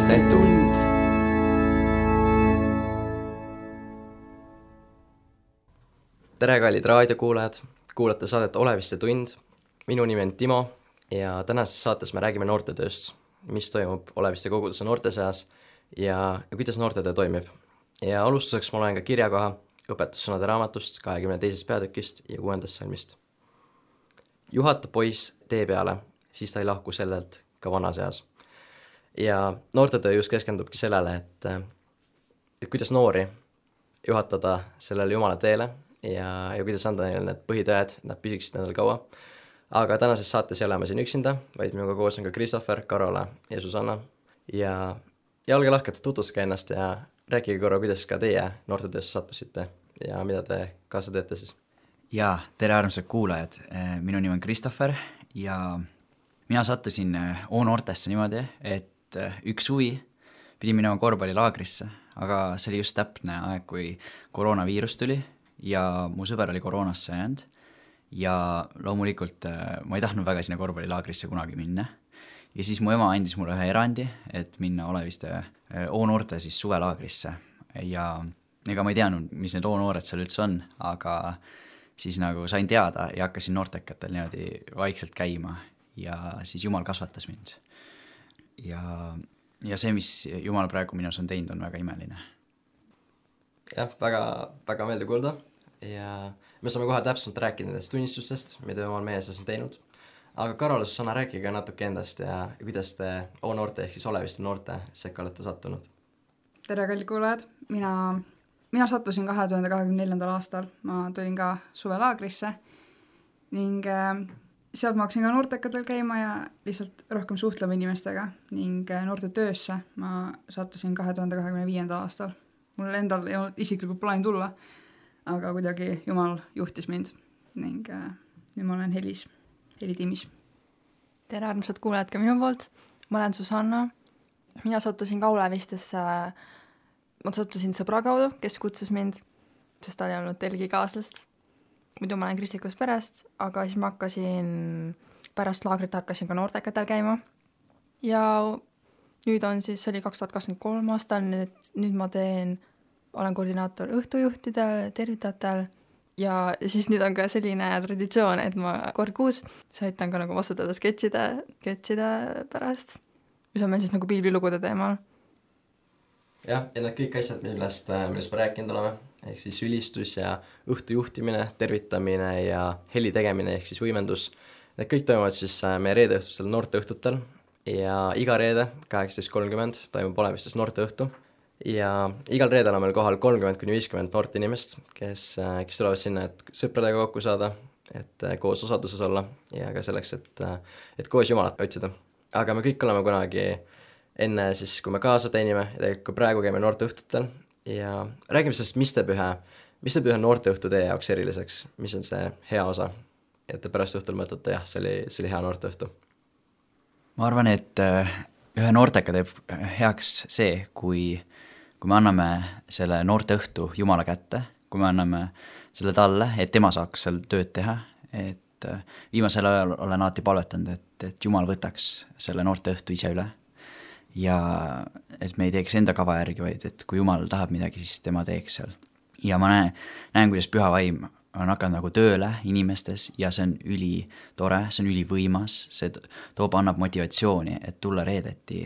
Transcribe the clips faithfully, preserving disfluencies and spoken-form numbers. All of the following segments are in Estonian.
Oleviste tund. Tere, kallid raadiokuulajad, kuulate saadet Oleviste tund. Minu nimi on Timo ja tänases saates me räägime noortetööst, mis toimub Oleviste koguduse noorte seas ja, ja kuidas noortetöö toimib. Ja alustuseks ma loen ka kirjakoha õpetussõnade raamatust kahekümne teisest peatükist ja kuuendast salmist. Juhata poiss tee peale, siis ta ei lahku sellelt ka vana seas. Ja noortetöö just keskendubki sellele, et, et kuidas noori juhatada sellele Jumala teele ja, ja kuidas anda neile need põhitõed, nad püsiksid nendel kaua. Aga tänases saates ei ole ma siin üksinda, vaid minuga koos on ka Christopher, Karola ja Susanna. Ja, ja olge lahked, tutvuske ennast ja rääkige korra, kuidas ka teie noortetöösse sattusite ja mida te kaasa teete siis. Ja, tere armsad kuulajad, minu nimi on Christopher ja mina sattusin O-noortesse niimoodi, et üks suvi pidin minema korvpallilaagrisse, aga see oli just täpne aeg, kui koroonaviirus tuli ja mu sõber oli koroonasse jäänud ja loomulikult ma ei tahtnud väga sinna korvpallilaagrisse kunagi minna. Ja siis mu ema andis mulle ühe erandi, et minna Oleviste O-noorte siis suvelaagrisse ja ega ma ei teadnud, mis need O-noored seal üldse on, aga siis nagu sain teada ja hakkasin noortekatel niimoodi vaikselt käima ja siis Jumal kasvatas mind. Ja, ja see, mis Jumal praegu minus on teinud, on väga imeline. Jah, väga, väga meeldi kuulda ja me saame kohe täpselt rääkida nendest tunnistustest, mida Jumal meie seas on teinud. Aga Karola, Susanna, rääkige natuke endast ja kuidas te O-noorte ehk siis Oleviste noorte sekka olete sattunud. Tere, kallid kuulajad, mina, mina sattusin kahe tuhande kahekümne neljandal aastal, ma tulin ka suvelaagrisse ning äh, sealt ma hakkasin ka noortekatel käima ja lihtsalt rohkem suhtlema inimestega ning äh, noorte töösse ma sattusin kahe tuhande kahekümne viiendal aastal. Mul endal ei olnud isiklikult plaani tulla, aga kuidagi Jumal juhtis mind ning äh, nüüd ma olen Helis, Helitiimis. Tere armsad kuulajad ka minu poolt, ma olen Susanna, mina sattusin ka Olevistesse, ma sattusin sõbra kaudu, kes kutsus mind, sest ta oli olnud telgi kaaslast. Muidu ma olen kristlikust perest, aga siis ma hakkasin, pärast laagrit hakkasin ka noortekatel käima ja nüüd on siis, see oli kaks tuhat kakskümmend kolm aastal, nüüd, nüüd ma teen, olen koordinaator õhtujuhtidel, tervitajatel ja siis nüüd on ka selline traditsioon, et ma kord kuus saitan ka nagu vastutada sketšide, sketšide pärast, mis on meil siis nagu piiblilugude teemal. Jah, ja need kõik asjad, millest, millest me rääkinud oleme, ehk siis ülistus ja õhtujuhtimine, tervitamine ja heli tegemine ehk siis võimendus, need kõik toimuvad siis meie reedeõhtustel noorte õhtutel ja iga reede kaheksateist kolmkümmend toimub Olevistes noorte õhtu ja igal reedel on meil kohal kolmkümmend kuni viiskümmend noort inimest, kes, kes tulevad sinna, et sõpradega kokku saada, et koos osaduses olla ja ka selleks, et, et koos Jumalat otsida. Aga me kõik oleme kunagi enne siis, kui me kaasa teenime ja tegelikult praegu käime noorte õhtutel ja räägime sellest, mis teeb ühe, mis teeb ühe noorte õhtu teie jaoks eriliseks, mis on see hea osa, et te pärast õhtul mõtlete, jah, see oli, see oli hea noorte õhtu. Ma arvan, et ühe noortega teeb heaks see, kui, kui me anname selle noorte õhtu Jumala kätte, kui me anname selle talle, et tema saaks seal tööd teha, et viimasel ajal olen alati palvetanud, et, et Jumal võtaks selle noorte õhtu ise üle ja et me ei teeks enda kava järgi, vaid et kui Jumal tahab midagi, siis tema teeks seal. Ja ma näen, näen kuidas püha vaim on hakanud nagu tööle inimestes ja see on üli tore, see on üli võimas, see toob, annab motivatsiooni, et tulla reedeti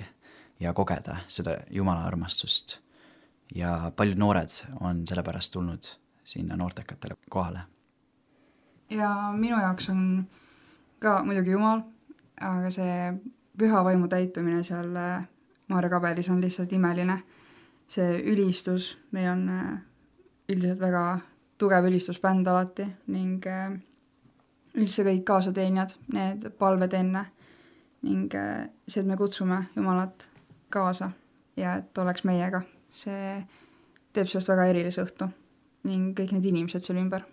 ja kogeda seda Jumala armastust. Ja paljud noored on sellepärast tulnud sinna noortekatele kohale. Ja minu jaoks on ka muidugi Jumal, aga see püha vaimu täitumine seal Maarja kabelis on lihtsalt imeline. See ülistus, meil on üldiselt väga tugev ülistusbänd alati ning üldse kõik kaasateenijad, need palved enne ning see, et me kutsume Jumalat kaasa ja et oleks meiega, see teeb sellest väga erilise õhtu ning kõik need inimesed seal ümber.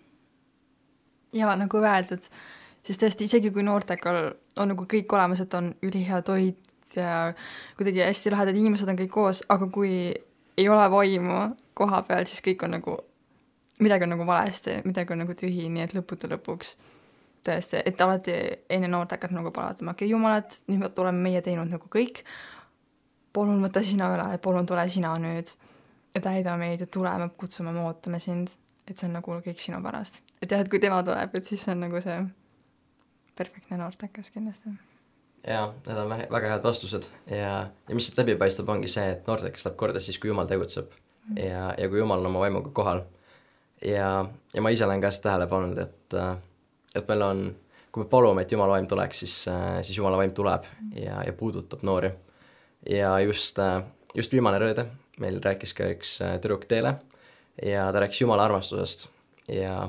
Ja nagu öeldud, siis tõesti isegi kui noortekal on nagu kõik olemas, et on ülihea toit ja kuidagi hästi lahedad inimesed on kõik koos, aga kui ei ole vaimu koha peal, siis kõik on nagu midagi on nagu valesti, midagi on nagu tühi, nii et lõputu lõpuks tõesti, et alati enne noortekat nagu palatama, okei, Jumalat, nüüd oleme meie teinud nagu kõik, palun võta sina üle, palun tule sina nüüd ja täida meid ja tule, me kutsume, me ootame sind, et see on nagu kõik sinu pärast. Et jah, et kui tema tuleb, et siis see on nagu see perfektne noortekas kindlasti. Jaa, need on väga head vastused ja, ja mis siit läbi paistab, ongi see, et noortekas läheb korda siis, kui Jumal tegutseb mm. ja, ja kui Jumal on oma vaimuga kohal. Ja, ja ma ise olen ka seda tähele pannud, et, et meil on, kui me palume, et Jumala vaim tuleks, siis, siis Jumala vaim tuleb ja, ja puudutab noori. Ja just, just viimane rõõde meil rääkis ka üks tüdruk Teele ja ta rääkis Jumala armastusest ja,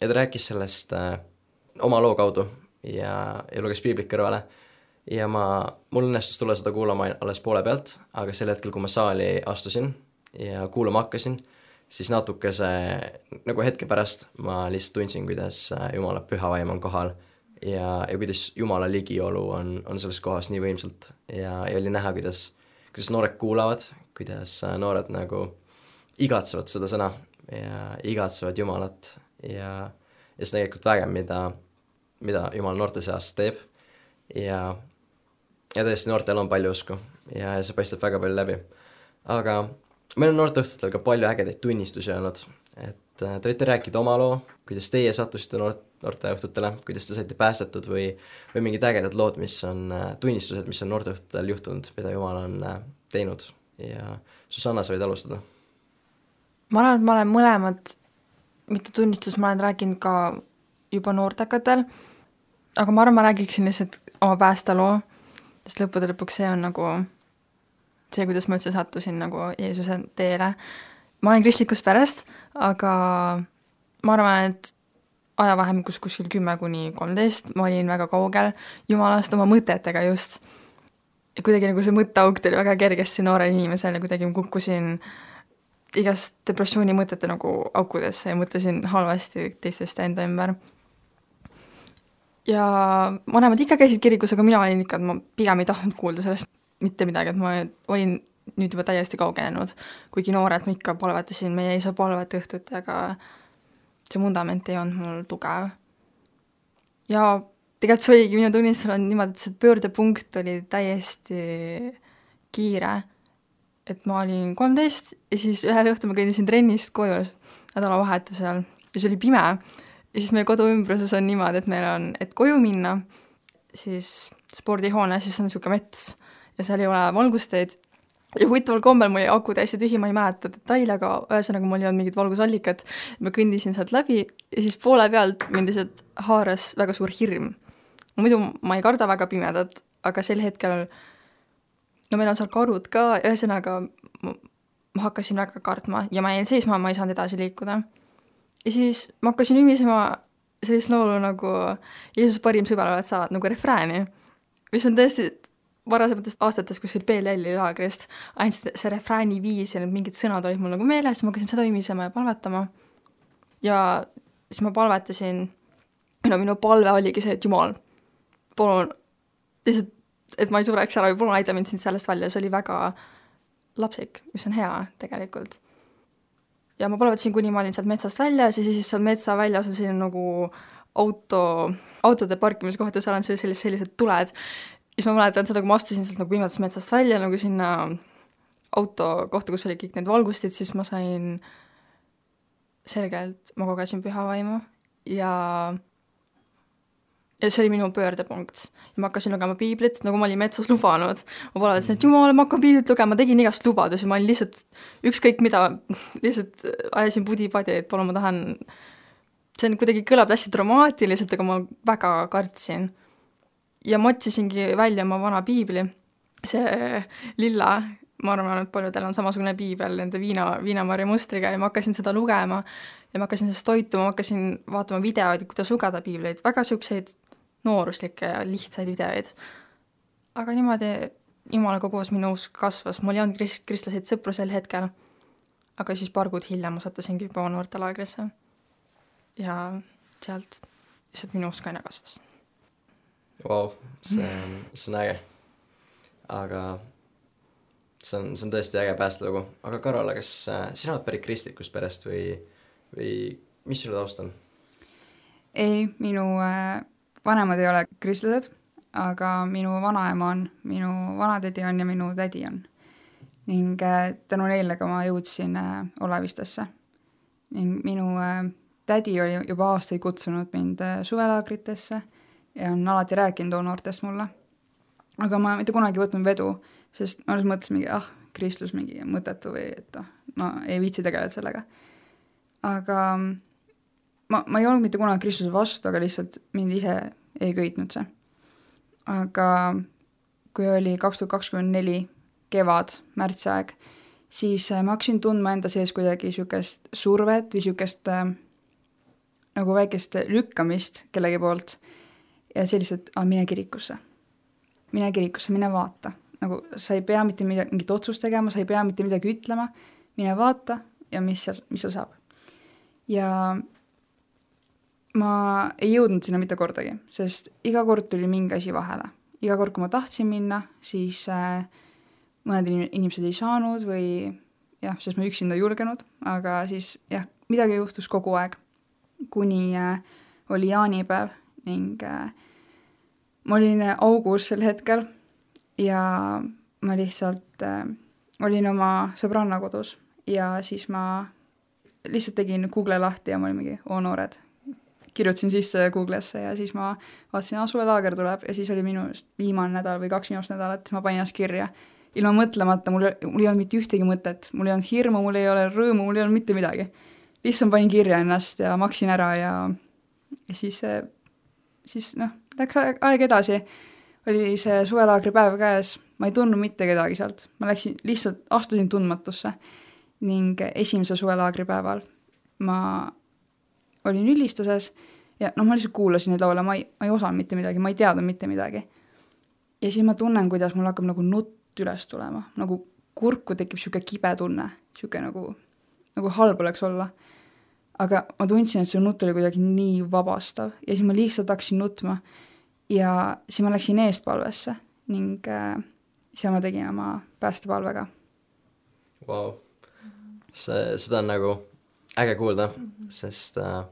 ja ta rääkis sellest äh, oma loo kaudu ja, ja luges piiblit kõrvale ja ma, mul õnnestus tulla seda kuulama alles poole pealt, aga sel hetkel, kui ma saali astusin ja kuulama hakkasin, siis natuke see, nagu hetke pärast ma lihtsalt tundsin, kuidas Jumala püha vaim on kohal ja, ja kuidas Jumala ligiolu on, on selles kohas nii võimsalt ja, ja oli näha, kuidas, kuidas noored kuulavad, kuidas noored nagu igatsevad seda sõna ja igatsevad Jumalat ja, ja see tegelikult vägev, mida mida Jumal noorte seas teeb ja, ja tõesti noortel on palju usku ja see paistab väga palju läbi. Aga meil on noorteõhtutel ka palju ägedaid tunnistusi olnud, et te võite rääkida oma loo, kuidas teie sattusite noort, noorteõhtutele, kuidas te saite päästetud või, või mingid ägedad lood, mis on tunnistused, mis on noorteõhtutel juhtunud, mida Jumal on teinud ja Susanna, sa võid alustada. Ma arvan, et ma olen mõlemad, mitte tunnistus, ma olen rääkinud ka juba noortekatel, aga ma arvan, ma räägiksin lihtsalt oma päästeloo, sest lõppude lõpuks see on nagu see, kuidas ma üldse sattusin nagu Jeesuse teele. Ma olen kristlikust perest, aga ma arvan, et ajavahemikus kuskil kümme kuni kolmteist ma olin väga kaugel Jumalast oma mõtetega just. Ja kuidagi nagu see mõtteauk tuli väga kergesti noore inimesele, kuidagi ma kukkusin igast depressiooni mõtete nagu aukudesse ja mõtlesin halvasti teistest enda ümber. Ja vanemad ikka käisid kirikus, aga mina olin ikka, et ma pigem ei tahtnud kuulda sellest mitte midagi, et ma olin nüüd juba täiesti kaugenenud, kuigi noored ma ikka palvetasin meie isa palvet õhtut, aga see vundament ei olnud mul tugev. Ja tegelikult see oligi minu tunnistusel on niimoodi, et see pöördepunkt oli täiesti kiire, et ma olin kolmteist ja siis ühel õhtul ma kõndisin trennist koju nädalavahetusel ja see oli pime. Ja siis meie kodu ümbruses on niimoodi, et meil on, et koju minna, siis spordihoone, siis on niisugune mets ja seal ei ole valgusteid. Ja huvitaval kombel mul aku täiesti tühi, ma ei mäleta detaile, aga ühesõnaga mul ei olnud mingit valgusallikat. Ma kõndisin sealt läbi ja siis poole pealt mind lihtsalt haaras väga suur hirm. Muidu ma ei karda väga pimedat, aga sel hetkel, no meil on seal karud ka, ühesõnaga ma, ma hakkasin väga kartma ja ma jäin seisma, ma ei saanud edasi liikuda. Ja siis ma hakkasin ümisema sellist laulu nagu Jeesus parim sõber oled sa, nagu refrääni, mis on tõesti varasematest aastatest kuskil B L L-i laagrist, ainult see refrääni viis ja need mingid sõnad olid mul nagu meeles, ma hakkasin seda ümisema ja palvetama. Ja siis ma palvetasin, no minu palve oligi see, et Jumal, palun, lihtsalt, et ma ei sureks ära või palun aida mind sind sellest välja, see oli väga lapsik, mis on hea tegelikult. Ja ma palvetasin, kuni ma olin sealt metsast välja, siis, siis seal metsa väljas on selline nagu auto, autode parkimise kohta, seal on sellised, sellised tuled. Siis ma mäletan seda, kui ma astusin sealt nagu pimedas metsast välja nagu sinna auto kohta, kus oli kõik need valgustid, siis ma sain selgelt, ma kogesin püha vaimu ja ja see oli minu pöördepunkt. Ja ma hakkasin lugema piiblit, nagu ma olin metsas lubanud. Ma palvetasin, et Jumal, ma hakkan piiblit lugema, ma tegin igast lubadusi, ma olin lihtsalt ükskõik mida, lihtsalt ajasin pudi-padi, et palun ma tahan, see on kuidagi kõlab hästi dramaatiliselt, aga ma väga kartsin. Ja ma otsisingi välja oma vana piibli, see lilla, ma arvan, et paljudel on samasugune piibel nende viina, viinamarja mustriga ja ma hakkasin seda lugema ja ma hakkasin sellest toituma, ma hakkasin vaatama videoid, kuidas lugeda piibleid, väga siukseid nooruslikke ja lihtsaid videoid. Aga niimoodi Jumalaga koos minu usk kasvas, mul ei olnud krist- kristlaseid sõpru sel hetkel, aga siis paar kuud hiljem ma sattusingi juba noortelaagrisse ja sealt lihtsalt minu usk aina kasvas. Vau, see on, see on äge. Aga see on, see on tõesti äge päästelugu. Aga Karola, kas äh, sina oled pärit kristlikust perest või, või mis sulle taust on? Ei, minu äh, vanemad ei ole kristlased, aga minu vanaema on, minu vanatädi on ja minu tädi on. Ning tänu neile ka ma jõudsin Olevistesse. Ning minu tädi oli juba aastaid kutsunud mind suvelaagritesse ja on alati rääkinud noortest mulle. Aga ma mitte kunagi võtnud vedu, sest ma alles mõtlesin mingi, ah, kristlus mingi mõttetu või et ma ei viitsi tegeleda sellega. Aga ma, ma ei olnud mitte kunagi kristluse vastu, aga lihtsalt mind ise ei köitnud see. Aga kui oli kaks tuhat kakskümmend neli kevad, märtsaeg, siis ma hakkasin tundma enda sees kuidagi sükest survet või sükest äh, nagu väikest lükkamist kellegi poolt ja selliselt, ah, mine kirikusse. Mine kirikusse, mine vaata. Nagu sa ei pea mitte midagi, mingit otsust tegema, sa ei pea mitte midagi ütlema, mine vaata ja mis seal, mis seal saab. Ja ma ei jõudnud sinna mitte kordagi, sest iga kord tuli mingi asi vahele. Iga kord, kui ma tahtsin minna, siis äh, mõned inimesed ei saanud või jah, sest ma üksinda julgenud, aga siis jah, midagi juhtus kogu aeg, kuni äh, oli jaanipäev ning äh, ma olin augus sel hetkel ja ma lihtsalt äh, olin oma sõbranna kodus ja siis ma lihtsalt tegin Google lahti ja ma olin mingi, oo noored, kirjutasin sisse Google'sse ja siis ma vaatasin, ah, suvelaager tuleb ja siis oli minu viimane nädal või kaks viimast nädalat, ma panin ennast kirja. Ilma mõtlemata, mul, mul ei olnud mitte ühtegi mõtet, mul ei olnud hirmu, mul ei ole rõõmu, mul ei olnud mitte midagi. Lihtsalt panin kirja ennast ja maksin ära ja, ja siis, siis noh, läks aeg, aeg edasi, oli see suvelaagri päev käes, ma ei tundnud mitte kedagi sealt, ma läksin, lihtsalt astusin tundmatusse ning esimese suvelaagri päeval ma olin ülistuses ja noh, ma lihtsalt kuulasin neid laule, ma ei, ma ei osanud mitte midagi, ma ei teadnud mitte midagi. Ja siis ma tunnen, kuidas mul hakkab nagu nutt üles tulema, nagu kurku tekib siuke kibe tunne, siuke nagu, nagu halb oleks olla. Aga ma tundsin, et see nutt oli kuidagi nii vabastav ja siis ma lihtsalt hakkasin nutma ja siis ma läksin eestpalvesse ning äh, seal ma tegin oma päästepalvega. Vau, see, seda on nagu äge kuulda, mm-hmm. sest, äh,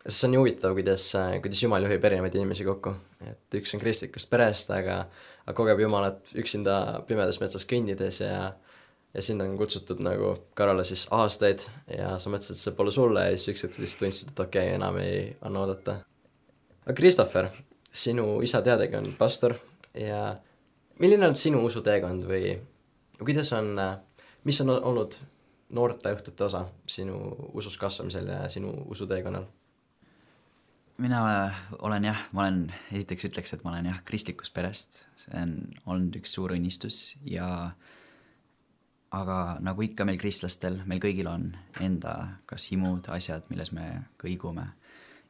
sest see on nii huvitav, kuidas, kuidas Jumal juhib erinevaid inimesi kokku. Et üks on kristlikust perest, aga, aga kogeb Jumalat üksinda pimedas metsas kõndides ja ja sind on kutsutud nagu Karole siis aastaid ja sa mõtlesid, et see pole sulle ja siis üks hetk lihtsalt tundsid, et okei, okay, enam ei anna oodata. Aga Christopher, sinu isa teadagi on pastor ja milline on sinu usuteekond või kuidas on, mis on olnud noorte õhtute osa sinu usus kasvamisel ja sinu usuteekonnal? Mina olen jah, ma olen, esiteks ütleks, et ma olen jah kristlikust perest, see on olnud üks suur õnnistus ja aga nagu ikka meil kristlastel, meil kõigil on enda kas himud, asjad, milles me kõigume.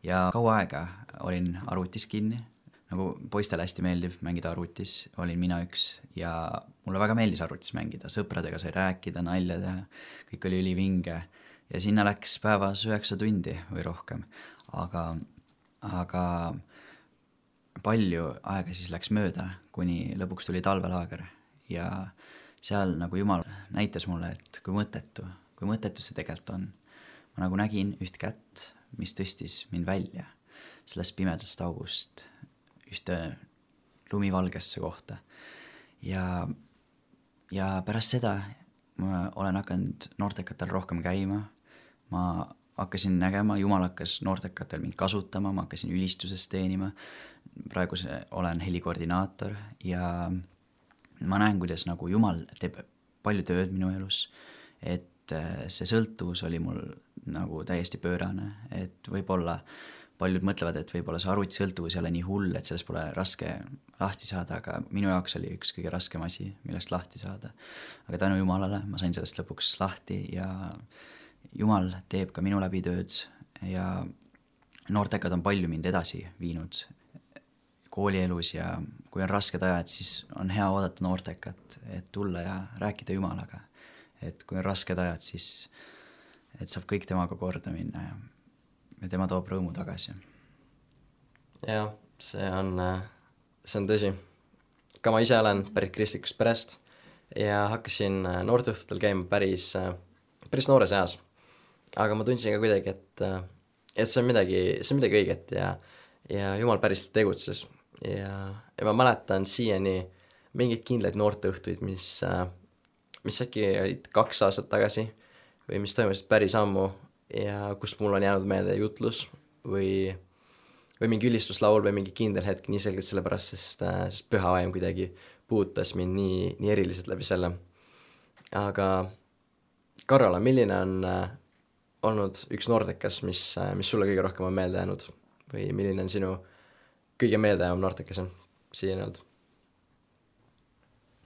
Ja kaua aega olin arvutis kinni, nagu poistele hästi meeldib mängida arvutis, olin mina üks ja mulle väga meeldis arvutis mängida, sõpradega sai rääkida, nalja teha, kõik oli ülivinge ja sinna läks päevas üheksa tundi või rohkem, aga, aga palju aega siis läks mööda, kuni lõpuks tuli talvelaager ja seal nagu Jumal näitas mulle, et kui mõttetu, kui mõttetu see tegelikult on. Ma nagu nägin üht kätt, mis tõstis mind välja sellest pimedast august ühte lumivalgesse kohta. Ja, ja pärast seda ma olen hakanud noortekatel rohkem käima. Ma hakkasin nägema, Jumal hakkas noortekatel mind kasutama, ma hakkasin ülistuses teenima. Praegu olen helikoordinaator ja ma näen, kuidas nagu Jumal teeb palju tööd minu elus, et see sõltuvus oli mul nagu täiesti pöörane, et võib-olla paljud mõtlevad, et võib-olla see arvuti sõltuvus ei ole nii hull, et sellest pole raske lahti saada, aga minu jaoks oli üks kõige raskem asi, millest lahti saada. Aga tänu Jumalale ma sain sellest lõpuks lahti ja Jumal teeb ka minu läbi tööd ja noortekad on palju mind edasi viinud koolielus ja kui on rasked ajad, siis on hea oodata noortekat, et tulla ja rääkida Jumalaga. Et kui on rasked ajad, siis et saab kõik temaga korda minna ja, ja tema toob rõõmu tagasi. Jah, see on, see on tõsi. Ka ma ise olen pärit kristlikust perest ja hakkasin noorteõhtutel käima päris, päris noores eas. Aga ma tundsin ka kuidagi, et, et see on midagi, see on midagi õiget ja, ja Jumal päriselt tegutses. ja, ja ma mäletan siiani mingeid kindlaid noorteõhtuid, mis, mis äkki olid kaks aastat tagasi või mis toimusid päris ammu ja kust mul on jäänud meelde jutlus või, või mingi ülistuslaul või mingi kindel hetk nii selgelt sellepärast, sest, sest püha vaim kuidagi puutas mind nii, nii eriliselt läbi selle. Aga Karola, milline on äh, olnud üks noortekas, mis, äh, mis sulle kõige rohkem on meelde jäänud või milline on sinu kõige meeldejäävam noortekas on siiani olnud?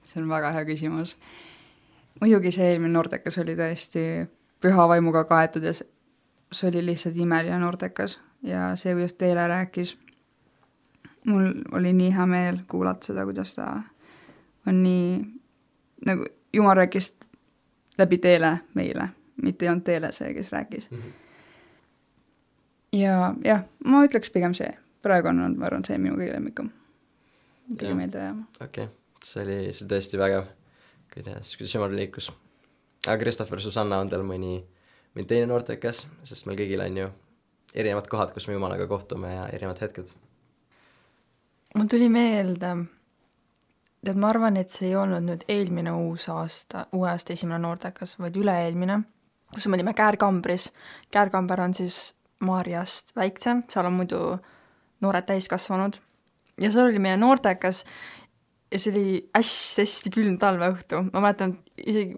See on väga hea küsimus. Muidugi see eelmine noortekas oli tõesti püha vaimuga kaetud ja see oli lihtsalt imeline noortekas ja see, kuidas Teele rääkis, mul oli nii hea meel kuulata seda, kuidas ta on nii, nagu Jumal rääkis läbi Teele meile, mitte ei olnud Teele see, kes rääkis. Mm-hmm. Ja jah, ma ütleks pigem see. Praegu on, ma arvan, see minu kõige lemmikum. Kõige meelde jääma. Okei, okay. see oli see tõesti vägev, kuidas, kuidas Jumal liikus. Aga Christopher, Susanna, on teil mõni, mõni teine noortekas, sest meil kõigil on ju erinevad kohad, kus me Jumalaga kohtume ja erinevad hetked. Mul tuli meelde, et ma arvan, et see ei olnud nüüd eelmine uus aasta, uue aasta esimene noortekas, vaid üle-eelmine, kus me olime Käärkambris. Käärkamber on siis Maarjast väiksem, seal on muidu noored täiskasvanud ja see oli meie noortekas ja see oli hästi-hästi külm talveõhtu. Ma mäletan, isegi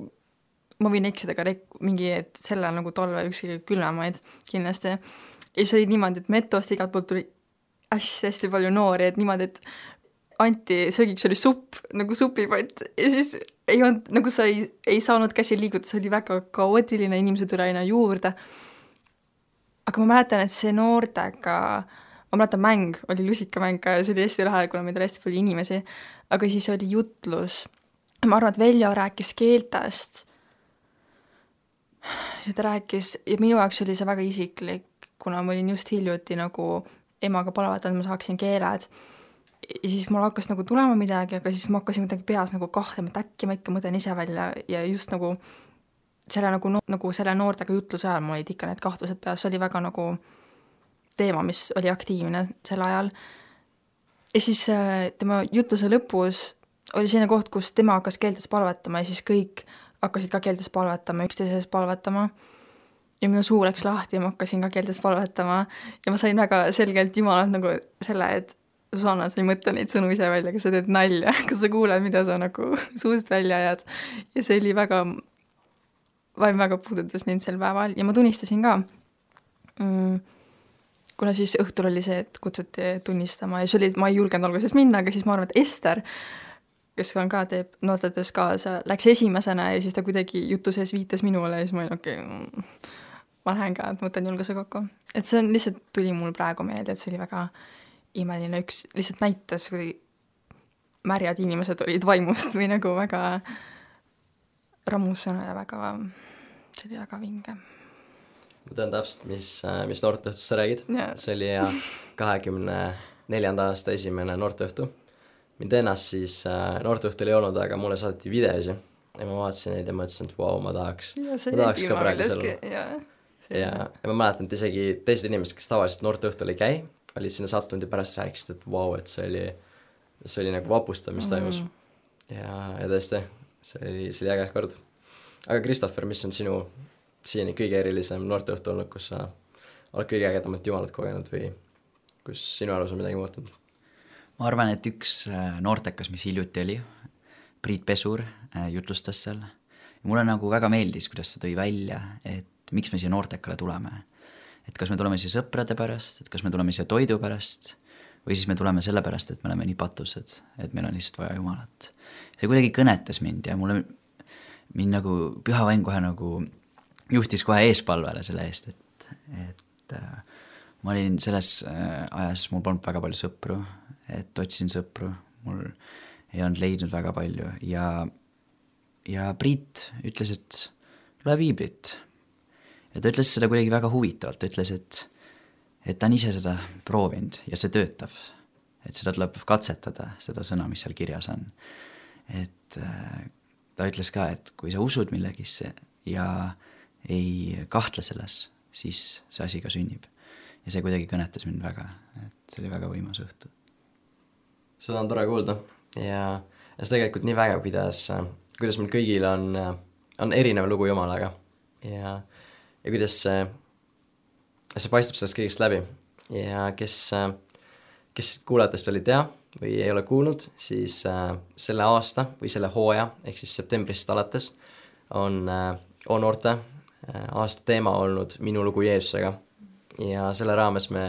ma võin eksida ka rek- mingi, et selle nagu talve üks külmemaid kindlasti. Ja see oli niimoodi, et metost igalt poolt tuli hästi-hästi palju noori, et niimoodi, et anti söögiks oli supp, nagu supipott ja siis ei olnud, nagu sa ei, ei saanud käsi liiguda, see oli väga kaootiline, inimesed tuli aina juurde. Aga ma mäletan, et see noortega ma mäletan, mäng oli lusikamäng ja see oli hästi lahe, kuna meid oli hästi palju inimesi, aga siis oli jutlus. Ma arvan, et Veljo rääkis keeltest ja ta rääkis, ja minu jaoks oli see väga isiklik, kuna ma olin just hiljuti nagu emaga palvetanud, ma saaksin keeled ja siis mul hakkas nagu tulema midagi, aga siis ma hakkasin kuidagi peas nagu kahtlema, et äkki ma ikka mõtlen ise välja ja just nagu selle, nagu, nagu selle noortega jutluse ajal mul olid ikka need kahtlused peas, see oli väga nagu teema, mis oli aktiivne sel ajal. Ja siis tema jutluse lõpus oli selline koht, kus tema hakkas keeltes palvetama ja siis kõik hakkasid ka keeltes palvetama, üksteises palvetama. Ja minu suu läks lahti ja ma hakkasin ka keeltes palvetama ja ma sain väga selgelt Jumalalt nagu selle, et Susanna, sa ei mõtle neid sõnu ise välja, kas sa teed nalja, kas sa kuuled, mida sa nagu suust välja ajad. Ja see oli väga, vaim väga puudutas mind sel päeval ja ma tunnistasin ka mm, kuna siis õhtul oli see, et kutsuti tunnistama ja see oli, ma ei julgenud alguses minna, aga siis ma arvan, et Ester, kes on ka teeb noortetöös kaasa, läks esimesena ja siis ta kuidagi jutu sees viitas minule ja siis ma olin, okei, okay, ma lähen ka, et mõtlen julguse kokku. Et see on lihtsalt tuli mul praegu meelde, et see oli väga imeline, üks lihtsalt näitas, kui märjad inimesed olid vaimust või nagu väga rammusena ja väga, see oli väga vinge. Ma tean täpselt, mis, mis noorteõhtust sa räägid. Yeah. See oli ja kahekümne neljanda aasta esimene noorteõhtu. Mind ennast siis noorteõhtul ei olnud, aga mulle saadeti videosi ja ma vaatasin neid ja mõtlesin, et vau, ma tahaks, ja, ma tahaks ka praegu selle. Ja, ja, ja ma mäletan, et isegi teised inimesed, kes tavaliselt noorteõhtul ei käi, olid sinna sattunud ja pärast rääkisid, et vau, et see oli, see oli nagu vapustav, mis toimus. Mm. Ja, ja tõesti, see oli, see oli äge kord. Aga Christopher, mis on sinu siiani kõige erilisem noorteõhtu olnud, kus sa oled kõige ägedamalt Jumalat kogenud või kus sinu arvus on midagi muutunud? Ma arvan, et üks noortekas, mis hiljuti oli, Priit Pesur jutlustas seal. Ja mulle nagu väga meeldis, kuidas see tõi välja, et miks me siia noortekale tuleme. Et kas me tuleme siia sõprade pärast, et kas me tuleme siia toidu pärast või siis me tuleme selle pärast, et me oleme nii patused, et meil on lihtsalt vaja Jumalat. See kuidagi kõnetas mind ja mulle mind nagu püha vaim kohe nagu juhtis kohe eespalvele selle eest, et, et äh, ma olin selles äh, ajas, mul polnud väga palju sõpru, et otsin sõpru, mul ei olnud leidnud väga palju ja, ja Priit ütles, et loe piiblit. Ja ta ütles seda kuidagi väga huvitavalt, ta ütles, et, et ta on ise seda proovinud ja see töötab, et seda tuleb katsetada, seda sõna, mis seal kirjas on. Et äh, ta ütles ka, et kui sa usud millegisse ja ei kahtle selles, siis see asi ka sünnib. Ja see kuidagi kõnetas mind väga, et see oli väga võimas õhtu. seda on tore kuulda ja, ja see tegelikult nii vägev, kuidas, kuidas meil kõigil on, on erinev lugu Jumalaga ja, ja kuidas see, see paistab sellest kõigest läbi ja kes, kes kuulajatest veel ei tea või ei ole kuulnud, siis äh, selle aasta või selle hooaja, ehk siis septembrist alates on äh, O-noorte äh, aasta teema olnud Minu lugu Jeesusega ja selle raames me,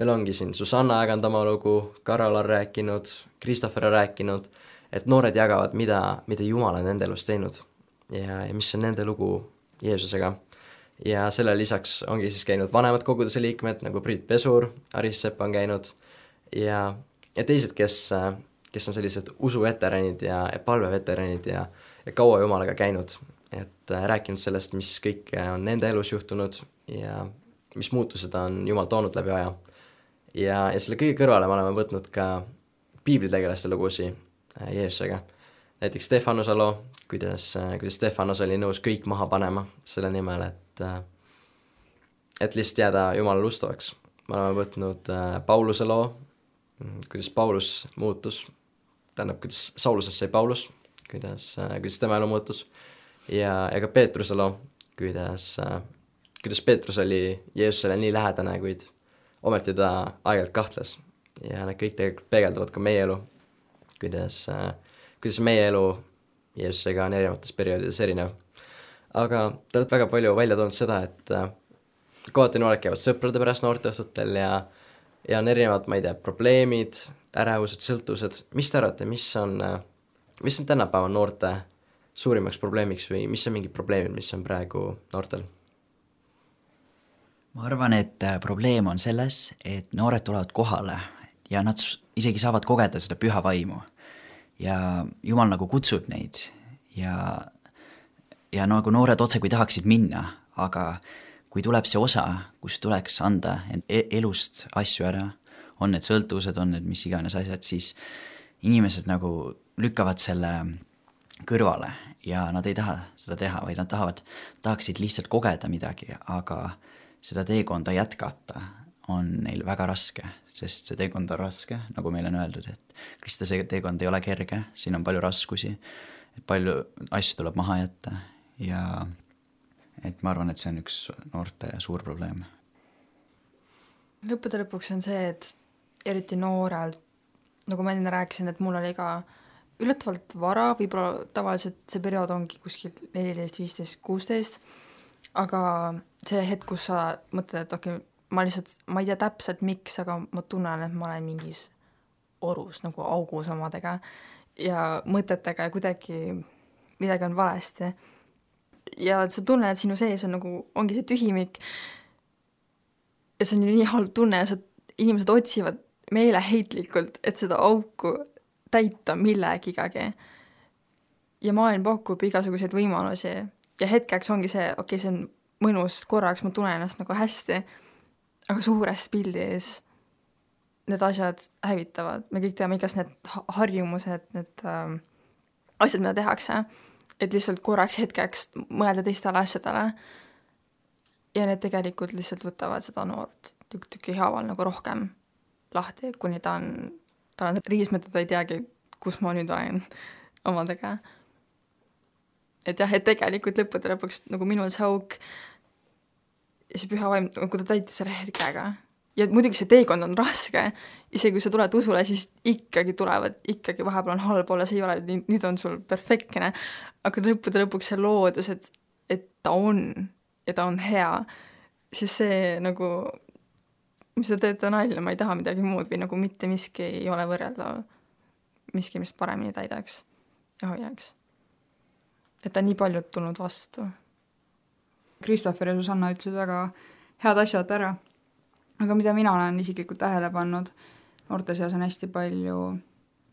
meil ongi siin Susanna jaganud oma lugu, Karol on rääkinud, Christopher on rääkinud, et noored jagavad, mida, mida Jumal on nende elus teinud ja, ja mis on nende lugu Jeesusega. Ja selle lisaks ongi siis käinud vanemad koguduse liikmed, nagu Priit Pesur, Aris Sepp on käinud ja ja teised, kes, kes on sellised usuveteranid ja, ja palveveteranid ja, ja kaua Jumalaga käinud, et rääkinud sellest, mis kõik on nende elus juhtunud ja mis muutused on Jumal toonud läbi aja. Ja, ja selle kõige kõrvale me oleme võtnud ka piiblitegelaste lugusi Jeesusega. Näiteks Stefanuse loo, kuidas, kuidas Stefanos oli nõus kõik maha panema selle nimel, et, et lihtsalt jääda Jumalale ustavaks. Me oleme võtnud Pauluse loo, kuidas Paulus muutus, tähendab, kuidas Saulusest sai Paulus, kuidas, kuidas tema elu muutus ja, ja ka Peetruse loo, kuidas, kuidas Peetrus oli Jeesusele nii lähedane, kuid ometi ta aeg-ajalt kahtles ja need kõik tegelikult peegeldavad ka meie elu, kuidas, kuidas meie elu Jeesusega on erinevates perioodides erinev. Aga te olete väga palju välja toonud seda, et kohati noored käivad sõprade pärast noorteõhtutel ja ja on erinevad, ma ei tea, probleemid, ärevused, sõltuvused. Mis te arvate, mis on, mis on tänapäeva noorte suurimaks probleemiks või mis on mingi probleemid, mis on praegu noortel? Ma arvan, et probleem on selles, et noored tulevad kohale ja nad isegi saavad kogeda seda püha vaimu. Ja Jumal nagu kutsub neid ja, ja nagu noored otse kui tahaksid minna, aga kui tuleb see osa, kus tuleks anda elust asju ära, on need sõltuvused, on need mis iganes asjad, siis inimesed nagu lükkavad selle kõrvale ja nad ei taha seda teha, vaid nad tahavad, tahaksid lihtsalt kogeda midagi, aga seda teekonda jätkata on neil väga raske, sest see teekond on raske, nagu meile on öeldud, et Kristuse teekond ei ole kerge, siin on palju raskusi, et palju asju tuleb maha jätta ja et ma arvan, et see on üks noorte suur probleem. Lõppude lõpuks on see, et eriti noorelt, nagu ma enne rääkisin, et mul oli ka üllatavalt vara, võib-olla tavaliselt see periood ongi kuskil neliteist, viisteist, kuusteist, aga see hetk, kus sa mõtled, et okei, ma lihtsalt, ma ei tea täpselt miks, aga ma tunnen, et ma olen mingis orus, nagu augus omadega ja mõtetega ja kuidagi midagi on valesti. Ja sa tunned, et sinu sees on nagu, ongi see tühimik ja see on ju nii halb tunne ja sa, inimesed otsivad meeleheitlikult, et seda auku täita millegigagi. Ja maailm pakub igasuguseid võimalusi ja hetkeks ongi see, okei, okay, see on mõnus korraks, ma tunnen ennast nagu hästi, aga suures pildis need asjad hävitavad. Me kõik teame igas need harjumused, need äh, asjad, mida tehakse, et lihtsalt korraks hetkeks mõelda teistele asjadele ja need tegelikult lihtsalt võtavad seda noort tükk-tükki haaval nagu rohkem lahti, kuni ta on, ta on riismed, ta ei teagi, kus ma nüüd olen omadega. Et jah, et tegelikult lõppude lõpuks nagu minul see auk ja see püha vaim, kui ta täitis selle hetkega ja muidugi see teekond on raske, isegi kui sa tuled usule, siis ikkagi tulevad, ikkagi vahepeal on halb olla, see ei ole, nüüd on sul perfektne, aga lõppude lõpuks see loodus, et, et ta on ja ta on hea, siis see nagu, mis te teete nalja, ma ei taha midagi muud või nagu mitte miski ei ole võrreldav, miski, mis paremini täidaks ja hoiaks. Et ta nii paljud tulnud vastu. Christopher ja Susanna ütlesid väga head asjad ära. Aga mida mina olen isiklikult tähele pannud, noorte seas on hästi palju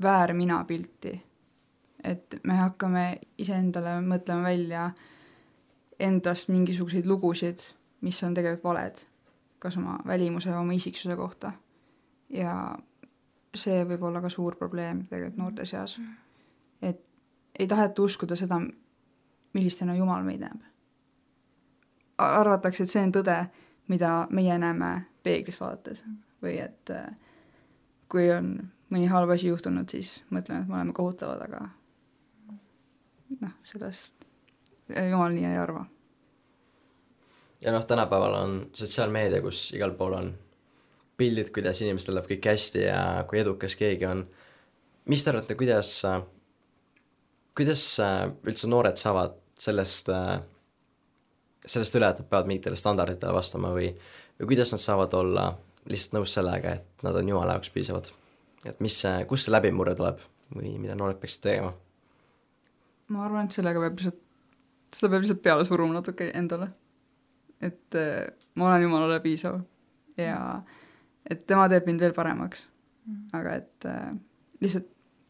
väärmina pilti. Et me hakkame iseendale mõtlema välja endast mingisuguseid lugusid, mis on tegelikult valed, kas oma välimuse ja oma isiksuse kohta. Ja see võib olla ka suur probleem tegelikult noorte seas. Et ei taheta uskuda seda, millistena Jumal meid näeb. Arvatakse, et see on tõde, mida meie näeme peeglist vaadates või et kui on mõni halb asi juhtunud, siis mõtlen, et me oleme kohutavad, aga noh, sellest jumal nii ei arva. Ja noh, tänapäeval on sotsiaalmeedia, kus igal pool on pildid, kuidas inimestel läheb kõik hästi ja kui edukas keegi on. Mis te arvate, kuidas, kuidas üldse noored saavad sellest, sellest üle, et nad peavad mingitele standarditele vastama või, või kuidas nad saavad olla lihtsalt nõus sellega, et nad on jumala jaoks piisavad? Et mis, kus see läbimurre tuleb või mida noored peaksid tegema? Ma arvan, et sellega peab lihtsalt, seda peab lihtsalt peale suruma natuke endale. Et äh, ma olen jumalale piisav ja et tema teeb mind veel paremaks. Mm. Aga et äh, lihtsalt,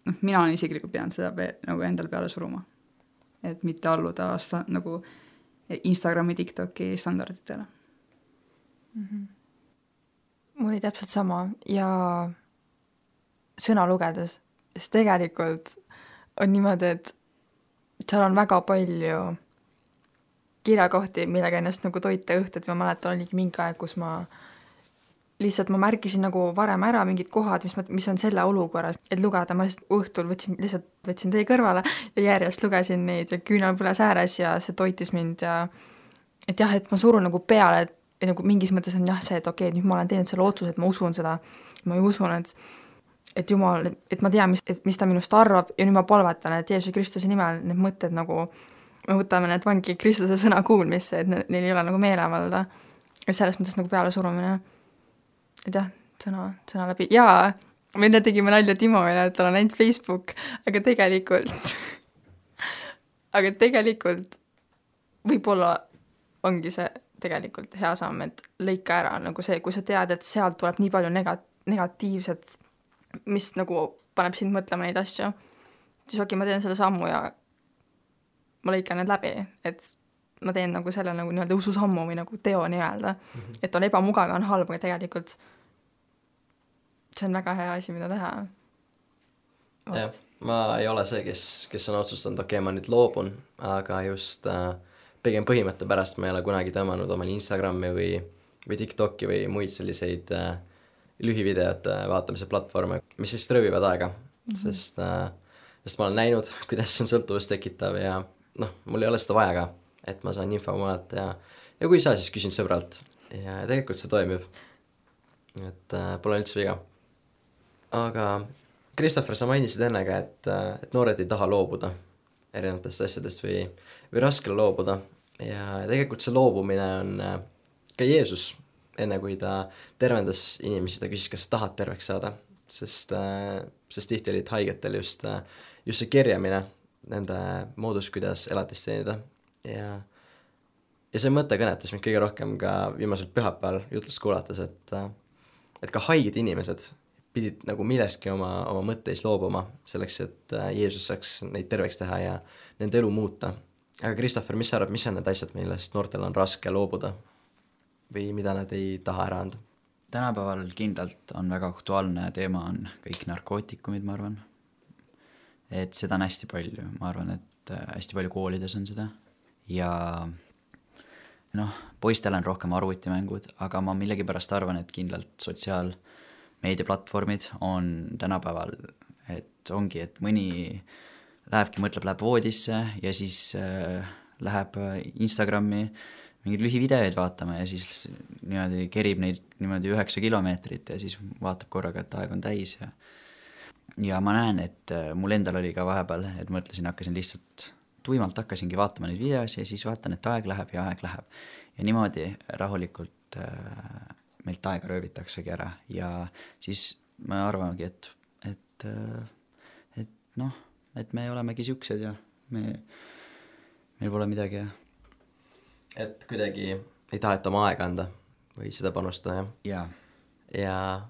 noh, mina olen isiklikult pidanud seda pe- nagu endale peale suruma. Et mitte alluda sta- nagu Instagrami, TikToki standarditele. Mm-hmm. Mul oli täpselt sama ja sõna lugedes, siis tegelikult on niimoodi, et seal on väga palju kirjakohti, millega ennast nagu toita õhtud. Ma mäletan, oligi mingi aeg, kus ma lihtsalt ma märkisin nagu varem ära mingid kohad, mis, ma, mis on selle olukorras, et lugeda. Ma lihtsalt õhtul võtsin, lihtsalt võtsin teie kõrvale ja järjest lugesin neid ja küünal põles ääres ja see toitis mind ja et jah, et ma surun nagu peale, et, et nagu mingis mõttes on jah see, et okei, okay, nüüd ma olen teinud selle otsuse, et ma usun seda. Ma ei usun, et et jumal, et ma tean, mis, et, mis ta minust arvab ja nüüd ma palvetan, et Jeesuse Kristuse nimel need mõtted nagu, me võtame need vangi Kristuse sõna kuulmisse, et ne, neil ei ole nagu meelevalda. Ja selles mõttes nagu peale surumine. Et jah, sõna, sõna läbi. Jaa, me enne tegime nalja Timoile, et tal on ainult Facebook, aga tegelikult, aga tegelikult võib-olla ongi see tegelikult hea samm, et lõika ära nagu see, kui sa tead, et sealt tuleb nii palju nega, negatiivset mis nagu paneb sind mõtlema neid asju, siis okei, ma teen selle sammu ja ma lõikan need läbi, et ma teen nagu selle nagu nii-öelda ususammu või nagu teo nii-öelda, mm-hmm. et on ebamugav ja on halb, aga tegelikult see on väga hea asi, mida teha. Jah, ma ei ole see, kes, kes on otsustanud, okei, ma nüüd loobun, aga just äh, pigem põhimõtte pärast ma ei ole kunagi tõmmanud omale Instagrami või, või TikToki või muid selliseid äh, lühivideote vaatamise platvorme, mis siis röövivad aega, mm-hmm. sest, äh, sest ma olen näinud, kuidas see on sõltuvust tekitav ja noh, mul ei ole seda vaja ka, et ma saan info mujalt ja, ja kui ei saa, siis küsin sõbralt ja tegelikult see toimib. Et äh, pole üldse viga. Aga Christopher, sa mainisid ennega, et, äh, et noored ei taha loobuda erinevatest asjadest või, või raskele loobuda ja tegelikult see loobumine on äh, ka Jeesus enne kui ta tervendas inimesi, ta küsis, kas sa tahad terveks saada, sest, sest tihti olid haigetel just, just see kerjamine, nende moodus, kuidas elatist teenida ja, ja see mõte kõnetas mind kõige rohkem ka viimasel pühapäeval jutlust kuulates, et, et ka haiged inimesed pidid nagu millestki oma, oma mõtteis loobuma selleks, et Jeesus saaks neid terveks teha ja nende elu muuta. Aga Christopher, mis sa arvad, mis on need asjad, millest noortel on raske loobuda? Või mida nad ei taha ära anda? Tänapäeval kindlalt on väga aktuaalne teema on kõik narkootikumid, ma arvan. Et seda on hästi palju, ma arvan, et hästi palju koolides on seda. Ja noh, poistel on rohkem arvutimängud, aga ma millegipärast arvan, et kindlalt sotsiaalmeediaplatvormid on tänapäeval, et ongi, et mõni lähebki, mõtleb, läheb voodisse ja siis äh, läheb Instagrami mingeid lühivideoid vaatama ja siis niimoodi kerib neid niimoodi üheksa kilomeetrit ja siis vaatab korraga, et aeg on täis ja ja ma näen, et mul endal oli ka vahepeal, et mõtlesin, hakkasin lihtsalt tuimalt hakkasingi vaatama neid videosi ja siis vaatan, et aeg läheb ja aeg läheb ja niimoodi rahulikult äh, meilt aega röövitaksegi ära ja siis me arvamegi, et et, et noh, et me olemegi siuksed ja me, meil pole midagi ja et kuidagi ei taheta oma aega anda või seda panustada, jah? Ja. ja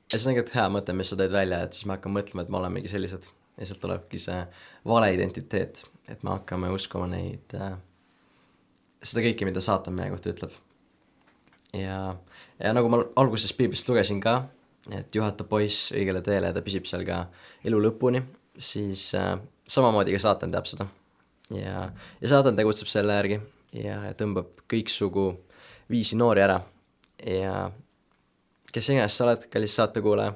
ja see on tegelikult hea mõte, mis sa tõid välja, et siis me hakkame mõtlema, et me olemegi sellised ja sealt tulebki see vale identiteet, et me hakkame uskuma neid äh, seda kõike, mida saatan meie kohta ütleb. Ja, ja nagu ma alguses piiblist lugesin ka, et juhata poiss õigele teele ja ta püsib seal ka elu lõpuni, siis äh, samamoodi ka saatan teab seda ja, ja saatan tegutseb selle järgi ja tõmbab kõiksugu viisi noori ära ja kes iganes sa oled, kallis saatekuulaja,